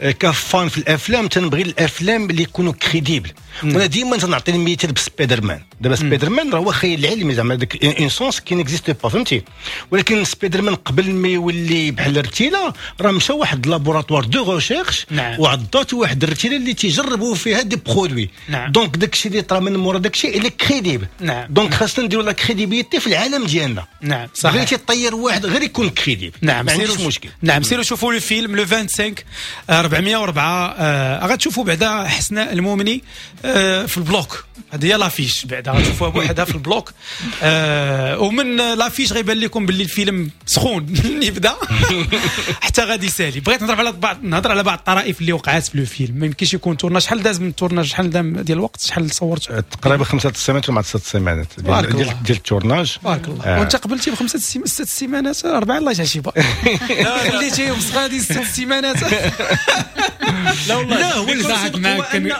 ك fan في الافلام تنبغي الافلام اللي يكونوا crédibles. وانا ديما تنعطي المثال بسبايدر مان. دابا سبايدر مان راه هو خيال علمي زعما داك un sens qui n'existe pas، فهمتي؟ ولكن سبايدر مان قبل ما يولي بحال الرتيله راه مشى واحد laboratoire de recherche وعضاتو واحد الرتيله اللي تيجربوا فيها des produits. نعم. donc داكشي اللي طرا من مورا داكشي اللي crédible. نعم. donc خاصنا نديروا la crédibilité في العالم ديالنا. نعم صحيح. بغيتي طير واحد غير يكون crédible. نعم، ما عنديش مشكل. نعم، سيروا شوفوا le film le خمسة وعشرين أربعمية وأربعة. آه غتشوفوا بعدا حسناء المؤمني آه في ال bloc، هذه هي l'affiche بعدا غتشوفوها بوحدها في ال bloc. آه ومن l'affiche غيبان لكم باللي الفيلم سخون يبدا حتى غادي يسالي. بغيت نهضر على بعض نهضر على بعض الطرائف اللي وقعات في le film. ما يمكنش يكون tournage، شحال داز من ال tournage؟ شحال دام ديال الوقت؟ شحال صورت؟ تقريبا خمسة السيمانات ولا ست سيمانات ديال ديال ال tournage. بارك الله. آه. وانت قبلتي بخمسة ست سيمانات اربعة، الله يجعل شي با خليتيهم غادي ست سيمانات. لا والله، لا هو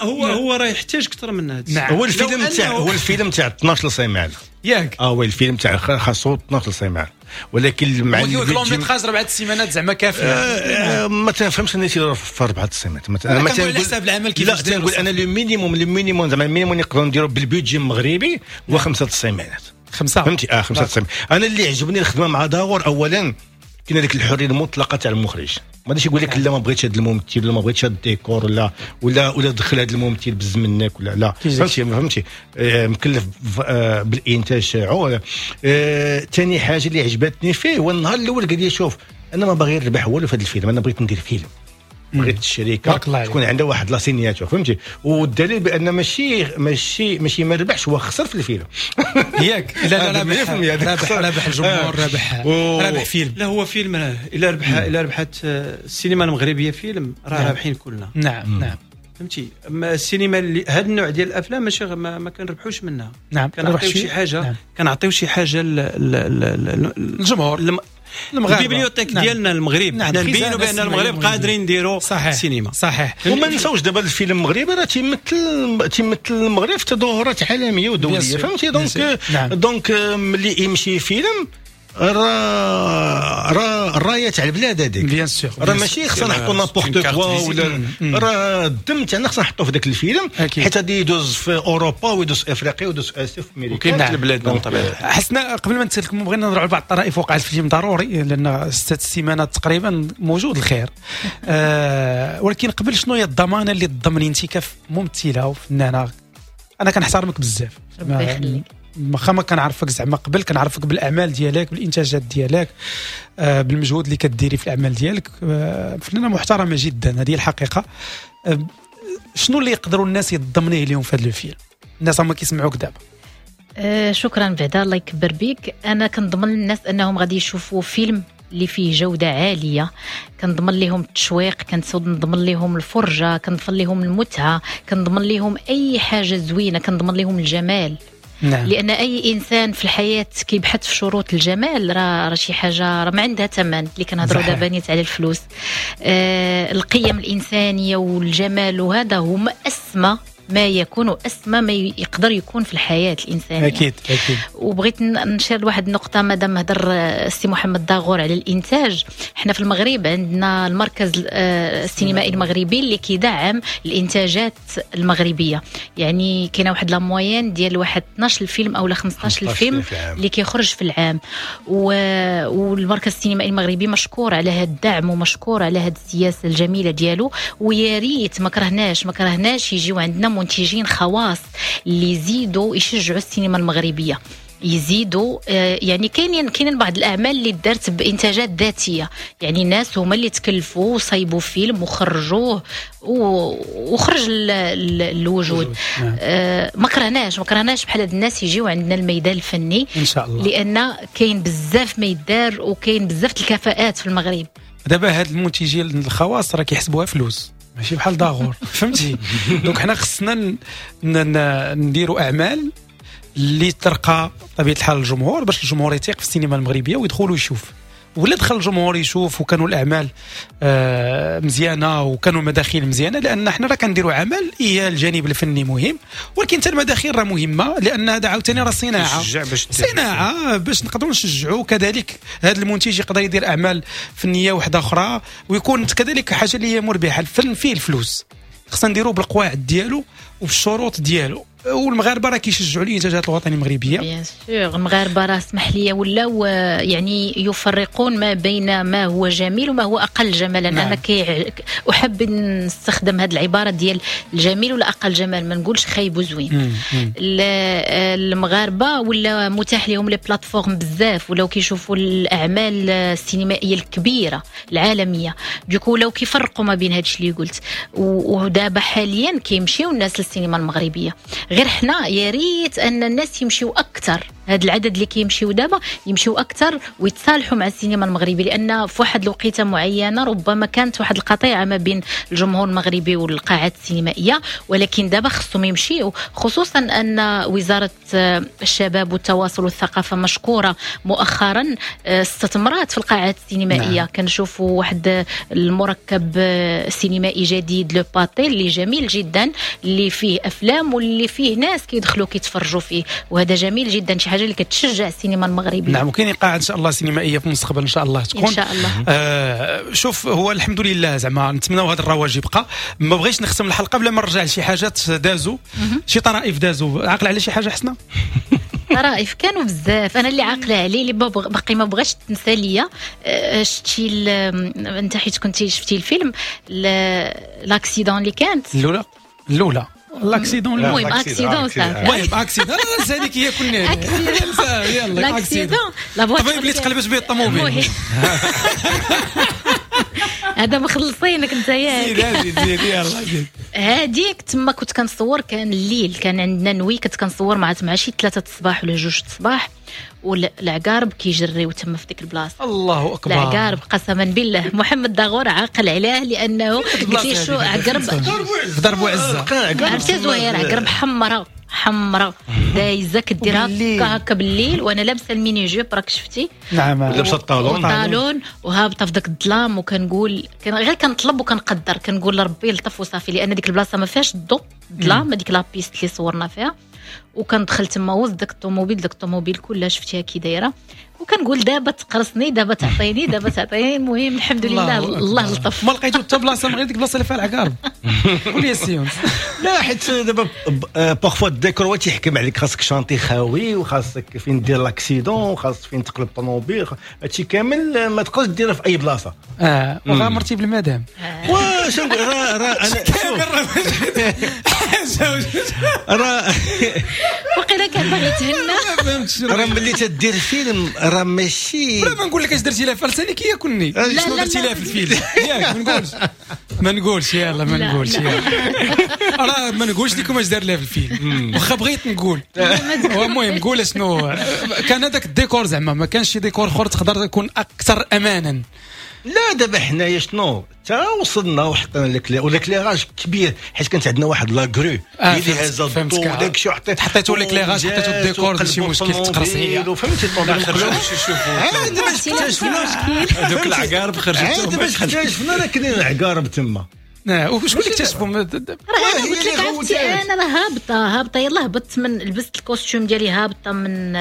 هو هو هو راه يحتاج اكثر من هذا. نعم. هو الفيلم تاع هو الفيلم تاع اثناش سيمانه ياك. اه هو الفيلم تاع خاصو اثناش سيمانه، ولكن مع ال long métrage اربعة سيمانات زعما كافيه. آه ما تنفهمش انا تيديروا في اربعة سيمانات. انا ما تنقول حساب العمل كيفاش. لا تنقول انا le minimum le minimum زعما ال minimum نقدروا نديروا بال budget المغربي هو خمسة سيمانات. خمسة، فهمتي؟ اه خمسة سيمانات. انا اللي عجبني الخدمة مع داغور اولا كاين هذيك الحرية المطلقة تاع المخرج، ما غاديش يقول لك لا ما بغيتش هذا الممثل ولا ما بغيتش هذا الديكور ولا ولا ولا دخل هذا الممثل بز منك ولا لا، فهمتي؟ فهمتي آه مكلف آه بالانتاج تاعو. ثاني آه حاجة اللي عجبتني فيه هو النهار الاول قال لي شوف انا ما باغي نربح والو في هذا الفيلم، انا بغيت ندير فيلم، بغيت الشركة تكون عندها واحد la signature، فهمتي؟ والدليل بان ماشي ماشي ماشي ما ربحش، هو خسر في الفيلم. ياك؟ لا لا ربح، ربح ربح الجمهور، ربح ربح فيلم. لا هو فيلم الا ربح الا ربحت السينما المغربية فيلم راه رابحين كلنا. نعم نعم، فهمتي؟ اما السينما اللي هذا النوع ديال الافلام ماشي ما, ما كنربحوش منها. نعم، كنعطيو شي حاجة. نعم. كنعطيو شي حاجة للجمهور ال bibliothèque. نعم. ديالنا المغرب. نعم. نبينوا بان المغرب قادرين نديروا سينما. صحيح. وما نساوش دابا الفيلم المغربي راه تيمثل تيمثل المغرب في تظاهرات عالمية ودوليه، فهمتي؟ donc. نعم. donc ملي يمشي فيلم راه راه الراية تاع البلاد هذيك، bien sûr، راه ماشي خصنا نحطوا n'importe quoi ولا راه الدم تاعنا خصنا نحطوه في ذاك الفيلم، حيت غادي يدوز في اوروبا ويدوز في افريقيا ويدوز في اسيا وفي امريكا وكاين في بلادنا بطبيعة الحال. حسنا، قبل ما نتكلموا بغينا نهضروا على بعض الطرائف وقعت في الفيلم ضروري، لان ست سيمانات تقريبا موجود الخير. آه ولكن قبل، شنو هي الضمانة اللي تضمني انت كممثله وفنانه؟ انا كنحترمك بزاف، ربي يخليك، واخا ما كنعرفك زعما قبل، كنعرفك بالاعمال ديالك، بالانتاجات ديالك، آه بالمجهود اللي كديري في الاعمال ديالك. آه فنانة محترمه جدا، هذه الحقيقة. آه شنو اللي يقدروا الناس يتضمنيه اليوم في هذا الفيلم؟ الناس هما كيسمعوك دابا. آه شكرا بعدا، الله يكبر بيك. انا كنضمن للناس انهم غادي يشوفوا فيلم اللي فيه جودة عالية، كنضمن لهم التشويق، كنضمن لهم الفرجة، كنضمن لهم المتعة، كنضمن لهم أي حاجة زوينة، كنضمن لهم الجمال. نعم. لأن أي إنسان في الحياة كيبحث في شروط الجمال راه راه شي حاجة راه ما عندها ثمن، اللي كنهضروا دابا نيت على الفلوس. آه القيم الإنسانية والجمال وهذا هما أسمى ما يكون أسمى ما يقدر يكون في الحياة الإنسانية. أكيد أكيد. وبغيت نشير لواحد النقطة، مادام هضر السي محمد داغور على الإنتاج، احنا في المغرب عندنا المركز السينمائي المغربي اللي كيدعم الإنتاجات المغربية، يعني كاينة واحد la moyenne ديال واحد اثناش فيلم أو خمسطاش فيلم اللي كيخرج في العام، والمركز السينمائي المغربي مشكور على هذا الدعم ومشكور على هذه السياسة الجميلة ديالو. ويا ريت ما كرهناش ما كرهناش يجيو عندنا منتجين خواص اللي يزيدوا يشجعوا السينما المغربية، يزيدوا يعني كاينين كاينين بعض الاعمال اللي دارت بانتاجات ذاتية، يعني الناس هما اللي تكلفوا وصايبوا فيلم وخرجوه وخرج الوجود. آه ما كرهناش ما كرهناش بحال هاد الناس يجيو عندنا الميدان الفني ان شاء الله، لان كاين بزاف ما يدار وكاين بزاف الكفاءات في المغرب. دابا هاد المنتجين الخواص راه كيحسبوها فلوس، ماشي بحال داغور، فهمتي؟ donc حنا خصنا نديروا اعمال اللي ترقى بطبيعة الحال الجمهور، باش الجمهور يثيق في السينما المغربية ويدخل ويشوف. ولا دخل الجمهور يشوف وكانوا الاعمال آه مزيانه وكانوا المداخيل مزيانه، لان حنا راه كنديروا عمل، هي الجانب الفني مهم، ولكن حتى المداخيل راه مهمة، لان هذا عاوتاني راه صناعة، باش صناعة باش نقدروا نشجعوا كذلك هذا المنتج يقدر يدير اعمال فنية واحدة اخرى، ويكون كذلك حاجة اللي هي مربحة. الفن فيه الفلوس، خصنا نديروا بالقواعد ديالو وبالشروط ديالو. والمغاربة راه كيشجعوا الانتاجات الوطنية المغربية، bien sûr. المغاربة راه اسمح لي ولاو يعني يفرقون ما بين ما هو جميل وما هو اقل جمالا. نعم. انا كي احب نستخدم هذه العبارة ديال الجميل ولا اقل جمال، ما نقولش خايب وزوين. المغاربة ولا متاح لهم les plateformes بزاف، ولاو كيشوفوا الاعمال السينمائية الكبيرة العالمية، du coup ولاو كيفرقوا ما بين هادشي اللي قلت. ودابا حاليا كيمشيو الناس للسينما المغربية، غير حنا يا ريت ان الناس يمشيو اكثر، هذا العدد اللي كيمشيو دابا يمشيو اكثر ويتصالحوا مع السينما المغربية، لان في واحد الوقيته معينة ربما كانت واحد القطيعة ما بين الجمهور المغربي والقاعات السينمائية، ولكن دابا خصهم يمشيو، خصوصا ان وزارة الشباب والتواصل والثقافة مشكورة مؤخرا استثمرات في القاعات السينمائية. نعم. كنشوفوا واحد المركب سينمائي جديد Le Pathé اللي جميل جدا، اللي فيه افلام واللي فيه ناس كيدخلوا كيتفرجوا فيه، وهذا جميل جدا، شي حاجة اللي كتشجع السينما المغربية. نعم، وكاين قاعة ان شاء الله سينمائية في المستقبل ان شاء الله تكون ان شاء الله. آه شوف، هو الحمد لله زعما نتمناو هذا الرواج يبقى. ما بغيتش نختم الحلقة بلا ما نرجع لشي حاجات دازوا، شي طرائف دازوا. عاقل على شي حاجة حسنه؟ طرائف كانوا بزاف، انا اللي عاقلة عليه اللي باقي ما بغاش تنسى ليا. شتي انت حيت كنتي شفتي الفيلم l'accident اللي كانت الاولى الاولى l'accident، المهم accident صافي، المهم accident هذيك هي كنا يلا l'accident الطبيب اللي تقلبت به الطوموبيل هذا مخلصينك انت ياك. زيد زيد زيد يلا زيد. هذيك تما كنت كنصور، كان الليل، كان عندنا nuit، كنت كنصور مع مع شي ثلاثة الصباح ولا جوج الصباح، والعقارب كيجريو تما في ديك البلاصة. الله اكبر، العقارب قسما بالله. محمد داغور عاقل عليه لانه قلت لي شو عقرب في درب عزه، عرفتي زهير، عقرب حمراء حمراء دايزه كديرها هكا هكا بالليل، وانا لابسه ال mini-jupe راك شفتي. نعم، لابسه ال talon ال talon وهابطه في داك الظلام، وكنقول غير كنطلب وكنقدر، كنقول لربي لطف وصافي، لان ديك البلاصة ما فيهاش الضوء، الظلام، هذيك la piste اللي صورنا فيها. وكندخل تما وسط داك الطوموبيل، داك الطوموبيل كلها شفتيها كي دايرة، وكنقول دابا تقرصني، دابا تعطيني، دابا تعطيني. المهم الحمد لله، الله لطف. ما لقيتو حتى بلاصة من غير ديك البلاصة اللي فيها العقارب. قول لي سيونس. لا، حيت دابا parfois الديكور هو تيحكم عليك، خاصك chantier خاوي، وخاصك فين دير l'accident، وخاصك فين تقلب الطوموبيل، هادشي كامل ما تقدرش ديرها في اي بلاصة. اه وغامرتي بالمدام. واش نقول، راه راه انا راه وقيلا كان باغي يتهنى. راه ملي تدير فيلم راه ماشي، بلا ما نقول لك اش درتي لها في لسانك ياكلني، شنو درتي لها في الفيلم ياك؟ ما نقولش ما نقولش يلا ما نقولش يلا راه ما نقولش لكم اش دار لها في الفيلم، واخا بغيت نقول. المهم قول شنو كان هذاك الديكور، زعما ما كانش شي ديكور اخر تقدر تكون اكثر امانا. لا دابا حنايا شنو تا وصلنا وحطينا l'éclairage كبير، حيت كانت عندنا واحد la grue اللي هازه الضو وداك الشيء، حطيتو l'éclairage، حطيتو الديكور، ماشي مشكل تقرص هي. فهمتي الطوموبيل خرجوا يشوفوا عاد باش اكتشفنا هذوك العقارب، خرجت باش اكتشفنا راه كاينين العقارب تما. نعم، وشكون اللي اكتشفوا؟ راه انا قلت لك عرفتي، انا راه هابطة هابطة يلاه هبطت من لبست ال costume ديالي، هابطة من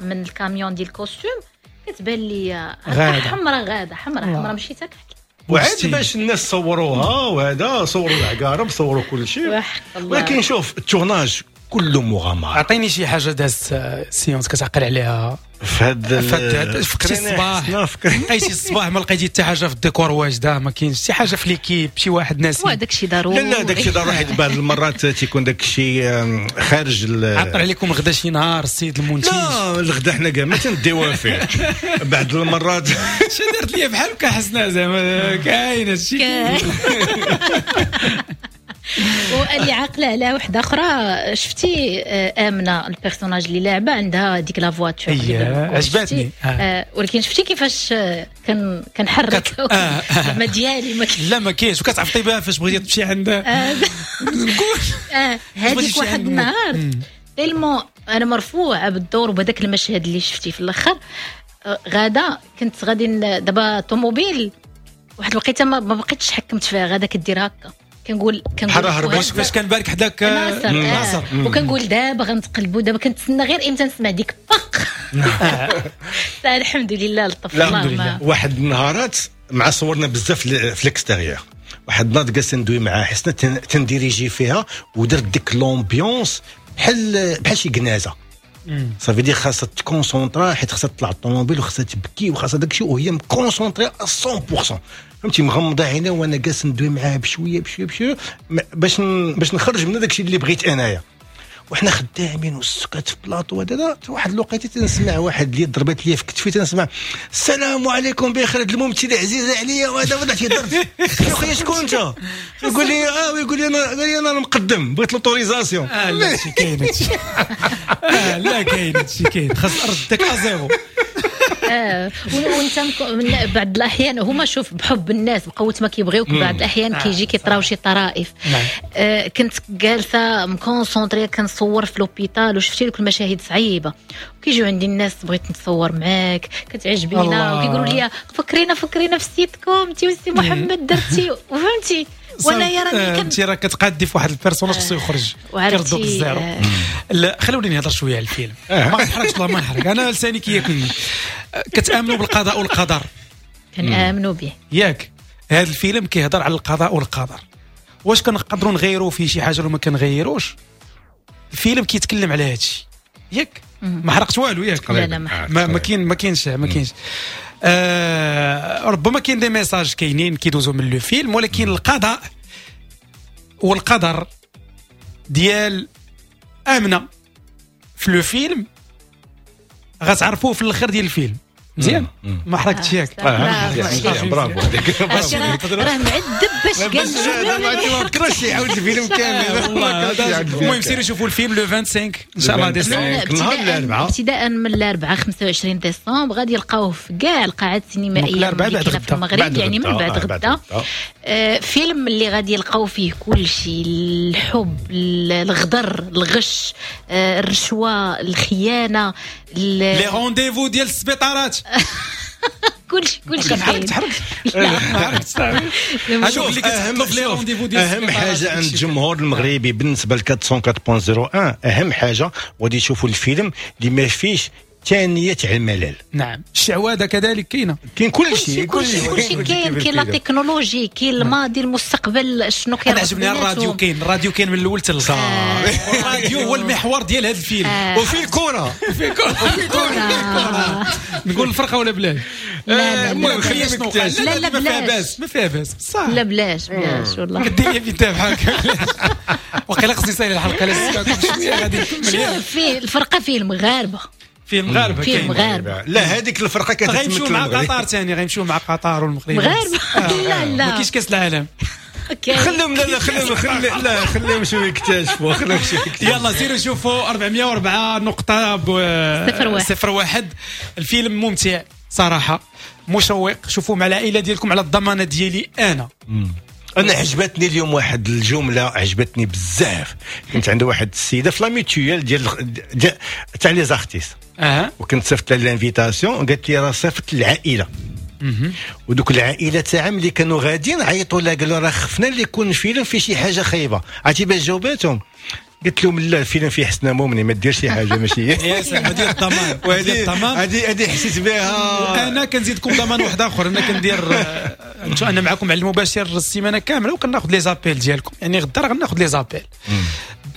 من الكاميون ديال ال costume، كتبان لي حمراء غاده، حمراء حمراء، مشيت هكا. وعاد باش الناس صوروها، وهذا صوروا العقارب، صوروا كل شيء. ولكن شوف ال tournage كله مغامرة. اعطيني شي حاجة دازت séance كتعقل عليها في هاد فقتي الصباح، لقيتي الصباح ما لقيتي حتى حاجة في الديكور واجدة، ما كاينش شي حاجة في l'équipe، شي واحد ناسي. وا داكشي ضروري. لا لا داكشي ضروري، حيت بعض المرات تيكون داكشي خارج. عطر عليكم غدا شي نهار السيد المنتج؟ لا الغدا حنا كاع ما تنديوها فيه بعض المرات. شي درت لي بحال هكا حسنا، زعما كاين هادشي. وانا اللي عاقلة على وحده اخرى، شفتي امنه ال personnage اللي لاعبه عندها ديك la voiture؟ عجبتني، ولكن شفتي كيفاش كان كنحرك زعما ديالي ما لا ما كاينش، وكتعفطي بها فاش بغيتي تمشي عند نقول هذيك واحد النهار tellement انا مرفوعة بالدور وبهذاك المشهد اللي شفتي في الاخر، غادا كنت غادي دابا طوموبيل واحد الوقيته ما بقيتش حكمت فيها، غادا كدير هكا كنقول كنقول فاش كان بارك حداك ناصر, ناصر. وكنقول دابا غنتقلبوا، دابا كنتسنى غير امتى نسمع ديك باق. الحمد لله لطف الله. واحد النهارات مع صورنا بزاف في l'extérieur، واحد النهار جالس ندوي مع حسنه تنديريجي فيها ودرت ديك l'ambiance بحال بحال شي جنازه، صافي دي خاصها ت concentrer حيت خاصها تطلع الطوموبيل وخاصها تبكي وخاصها داكشي، وهي م concentrée مية بالمية، فهمتي، مغمضه عينها وانا جالس ندوي معاها بشوية بشوية بشوية باش باش نخرج من داكشي اللي بغيت انايا. وحنا خدامين والسكات في بلاطو هذا، واحد الوقيته تنسمع واحد اللي ضربت لي في كتفي، تنسمع السلام عليكم بخير هاد الممثلة عزيزه عليا وهذا، وهذا تيضرب يا خويا شكون انت؟ يقول لي اه، ويقول لي انا، قال لي انا المقدم بغيت l'autorisation. اه لا شي كاين هادشي، اه لا كاين هادشي كاين، خاص ردك à zéro. اه وانت بعض الاحيان هما شوف بحب الناس بقوة ما كيبغيوك، بعض الاحيان كيجي كيطراو شي طرائف. آه كنت جالسة م concentrée كنصور في l'hôpital وشفتي لك المشاهد صعيبة، وكيجيو عندي الناس بغيت نتصور معاك كتعجبينا، وكيقولوا لي فكرينا فكرينا في السيتكوم انت وسي محمد درتي، وفهمتي. وانا يا راني انت راه كتقادي في واحد ال personnage خصو يخرج كيردوك ال zéro. لا خلوني نهضر شوية على الفيلم، ما نحرقش والله ما نحرق، انا لساني كياكلني. كتامنوا بالقضاء والقدر؟ كنامنوا به ياك. هذا الفيلم كيهضر على القضاء والقدر، واش كنقدروا نغيروا فيه شي حاجة ولا ما كنغيروش؟ الفيلم كيتكلم على هذا الشيء ياك. ما حرقت والو ياك؟ لا لا ما ما كاين ما كاينش ما كاينش. آه ربما كاين des messages كاينين كيدوزو من le film، ولكن القضاء والقدر ديال امنه في le film غتعرفوه في الاخر ديال الفيلم. مزيان ما حركتش ياك؟ برافو عليك، راه معذب باش قال الجملة، ما كرهش يعاود الفيلم كامل. المهم سيروا شوفوا الفيلم le خمسة وعشرين ان شاء الله ديسمبر، نهار الاربعاء، ابتداء من الاربعاء خمسة وعشرين ديسمبر غادي يلقاوه في كاع القاعات السينمائية في المغرب، يعني من بعد غدا. فيلم اللي غادي يلقاو فيه كل شيء، الحب، الغدر، الغش، الرشوة، الخيانة، les rendez-vous ديال السبيطارات، كلشي كلشي. حركت حركت هذوك اللي كتحطوا في les rendez-vous ديال اهم حاجة عند الجمهور المغربي بالنسبة ل أربعمية وأربعة فاصلة صفر واحد، اهم حاجة غادي يشوفوا الفيلم اللي ما فيش ثانية تاع الملل. نعم الشعوذة كذلك كاينه، كاين كل شيء كل شيء كل شيء كاين، كاين la technologie، كاين الماضي، المستقبل، شنو كاين. انا عجبني الراديو، كاين الراديو كاين من الاول حتى الاخر، الراديو هو المحور ديال هذا الفيلم. وفي كره وفي كره وفي كره نقول الفرقة ولا بلاش؟ لا المهم لا لا ما فيها باس، ما فيها باس بصح، لا بلاش بلاش والله. كدير لي في بحال هكا وقيلا خصني نسالي الحلقة لا غادي نكمل. شوف فيه الفرقة فيه المغاربة، فيه المغاربة، فيه المغاربة. لا هذيك الفرقة كتمثل غيمشيو مع قطر ثاني، غيمشيو مع قطر والمغرب مغاربة. لا لا ما كاينش كاس العالم. خليهم لا لا خليهم خلي لا خليهم شوية يكتشفوا، خليهم شوية يكتشفوا. يلا سيروا شوفوا أربعمية وأربعة نقطة صفر واحد. الفيلم ممتع صراحة، مشوق، شوفوا مع العائلة ديالكم على الضمانة ديالي انا. انا عجبتني اليوم واحد الجملة عجبتني بزاف، كنت عند واحد السيدة في la mutuelle ديال تاع les artistes، اها، وكنت صيفط لها l'invitation، قالت لي راه صيفط العائلة، ودوك العائلة تاعهم اللي كانوا غاديين عيطوا لها قالوا راه خفنا اللي يكون فيلم فيه شي حاجة خايبة. عرفتي باش جاوباتهم؟ قلت لهم لا الفيلم فيه حسنه مومني، ما ديرش شي حاجة ماشي يا سلام. هذه الضمان، وهذه هذه هذه حسيت بها. انا كنزيدكم ضمان واحد اخر، انا كندير انا معكم على المباشر السيمانة كاملة وكناخذ les appels ديالكم، يعني غدا راه غناخذ les appels،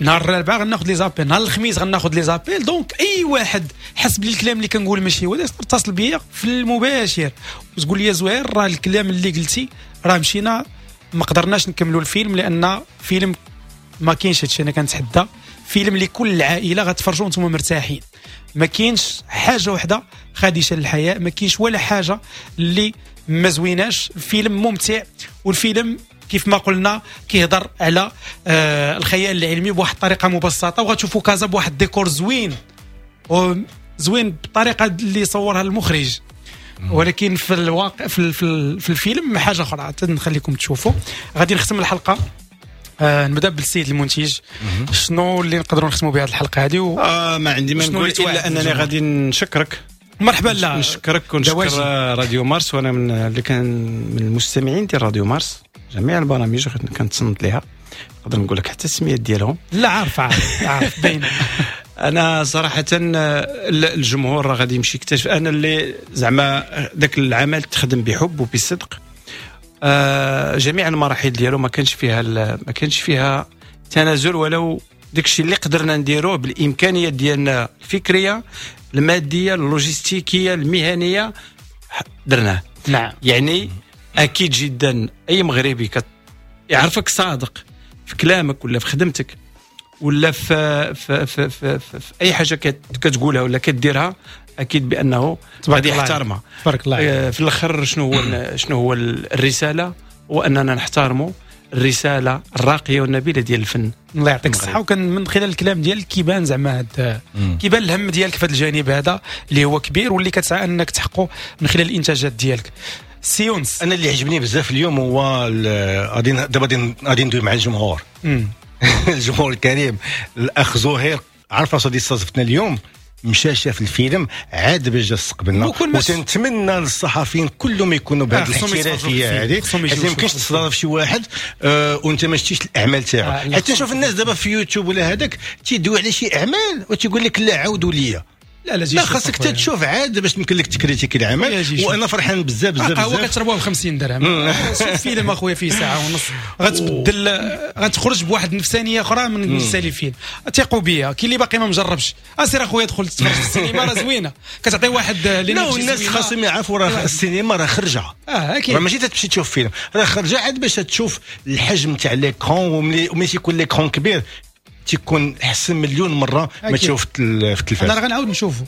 نهار الاربعاء غناخذ les appels، نهار الخميس غناخذ les appels. donc اي واحد حس بلي الكلام اللي كنقول ماشي هو، اتصل بيا في المباشر وتقول لي زهير راه الكلام اللي قلتي راه مشينا ما قدرناش نكملوا الفيلم لان فيلم ما كاينش هادشي. انا كنتحدى فيلم لكل العائلة غتفرجوا وانتم مرتاحين، ما كاينش حاجة وحده خادشه للحياة، ما كاينش ولا حاجة اللي ما زويناش. الفيلم ممتع والفيلم كيف ما قلنا كيهضر على آه الخيال العلمي بواحد الطريقة مبسطة، وغتشوفوا كازا بواحد الديكور زوين زوين بالطريقة اللي صورها المخرج، ولكن في الواقع في, في, في الفيلم حاجة اخرى. نخليكم تشوفوا. غادي نختم الحلقة، آه نبدا بالسيد المنتج. شنو اللي نقدروا نختموا بهذه الحلقة هذه؟ و... آه ما عندي ما نقول الا انني غادي نشكرك. مرحبا. لا نشكرك ونشكر راديو مارس، وانا من اللي كان من المستمعين ديال راديو مارس، جميع البرامج كنتصنت ليها، نقدر نقول لك حتى السميات ديالهم. لا عارف عارف عارف باين. انا صراحة الجمهور راه غادي يمشي يكتشف انا اللي زعما ذاك العمل تخدم بحب وبصدق، آه جميع المراحل ديالو ما كانش فيها ما كانش فيها تنازل، ولو داكشي اللي قدرنا نديروه بالامكانيات ديالنا الفكرية المادية اللوجستيكيه المهنية درناه. نعم. يعني اكيد جدا اي مغربي كت يعرفك صادق في كلامك ولا في خدمتك ولا في في في, في, في, في اي حاجة كتقولها ولا كديرها، اكيد بانه غادي يحترمها. تبارك الله. في الاخر شنو هو شنو هو الرسالة؟ هو اننا نحترموا الرسالة الراقية والنبيله ديال الفن. الله يعطيك الصحة. وكان من خلال الكلام ديالك كيبان زعما هاد كيبان الهم ديالك في هذا الجانب هذا اللي هو كبير واللي كتسعى انك تحققه من خلال الانتاجات ديالك. سي يونس، انا اللي عجبني بزاف اليوم هو غادي دابا غادي ندوي مع الجمهور. الجمهور الكريم، الاخ زهير عارف راسو استضفتنا اليوم، مشى شاف الفيلم عاد باش جا استقبلنا، وتنتمنى للصحفيين كلهم يكونوا بهذه الاحترافية هذه، حيت ما يمكنش تستضيف شي واحد آه وانت ما شتيش الاعمال تاعو. آه حتى نشوف الناس دابا في يوتيوب ولا هذاك تيدوي على شي اعمال وتيقول لك لا عاودوا ليا. لا لا, لا خاصك تشوف عاد باش يمكن لك تكريتيكي العمل. وانا فرحان بزاف بزاف بزاف. هو كتشربوه ب خمسين درهم فيلم اخويا فيه ساعة ونص، غتبدل غتخرج بواحد النفسانيه اخرى من سالي الفيلم. ثقوا بيا، كاين اللي باقي ما مجربش، اسير اخويا دخل تتفرج في السينما راه زوينة، كتعطي واحد لا الناس خاصهم يعرفوا راه السينما راه خرجه. اه اكيد، ماشي تمشي تشوف فيلم، راه خرجه عاد باش تشوف الحجم تاع l'écran، وملي تيكون l'écran كبير تيكون احسن مليون مرة ما تشوف في التلفاز. انا راه غنعاود نشوفو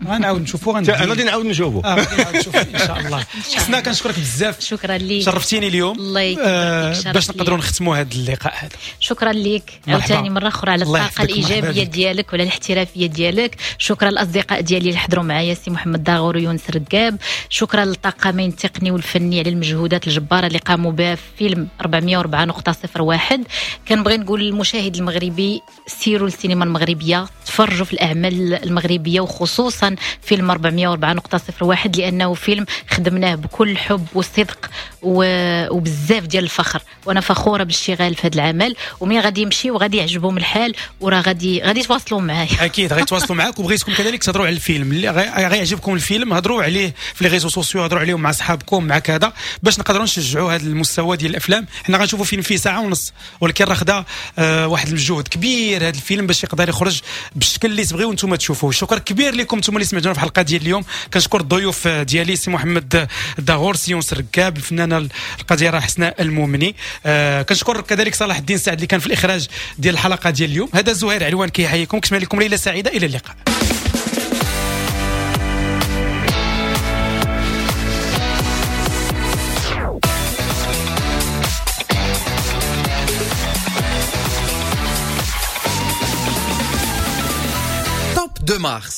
غنعاود نشوفو غنعاود انا غادي نعاود نشوفو. اه غادي نعاود نشوفو ان شاء الله. حسنا كنشكرك بزاف. شكرا ليك، شرفتيني اليوم. الله يكرمك. آه باش نقدروا نختموا هذا اللقاء هذا. شكرا ليك عاوتاني مرة اخرى على الطاقة الايجابية ديالك وعلى الاحترافية ديالك. شكرا للاصدقاء ديالي اللي حضروا معايا، سي محمد داغور ويونس ركاب. شكرا للطاقمين التقني والفني على المجهودات الجبارة اللي قاموا بها في فيلم أربعمية وأربعة نقطة صفر واحد. كنبغي نقول للمشاهد المغربي سيروا للسينما المغربية، تفرجوا في الاعمال المغربية وخصوصا فيلم أربعمية وأربعة نقطة صفر واحد، لأنه فيلم خدمناه بكل حب وصدق وبزاف ديال الفخر، وأنا فخورة بالاشتغال في هذا العمل. ومين غادي يمشي وغادي يعجبهم الحال وراه غادي غادي يتواصلوا معايا. أكيد غادي يتواصلوا معاك، وبغيتكم كذلك تهضروا على الفيلم اللي غيعجبكم الفيلم، هضروا عليه في les réseaux sociaux، هضروا عليهم مع صحابكم مع كذا، باش نقدروا نشجعوا هذا المستوى ديال الأفلام. حنا غنشوفوا فيلم فيه ساعة ونص، ولكن راه خدا آه واحد المجهود كبير هذا الفيلم باش يقدر يخرج بالشكل اللي تبغيو نتوما تشوفوه. شكرا كبير لكم نتوما اللي سمعتونا في الحلقة ديال اليوم. كنشكر الضيوف ديالي سي محمد الداغور، سي يونس الركاب، الفنانة القديره حسناء المؤمني. آه كنشكر كذلك صلاح الدين سعد اللي كان في الاخراج ديال الحلقة ديال اليوم. هذا زهير علوان كيحييكم، كنتمنى لكم ليلة سعيدة، الى اللقاء. Top deux mars.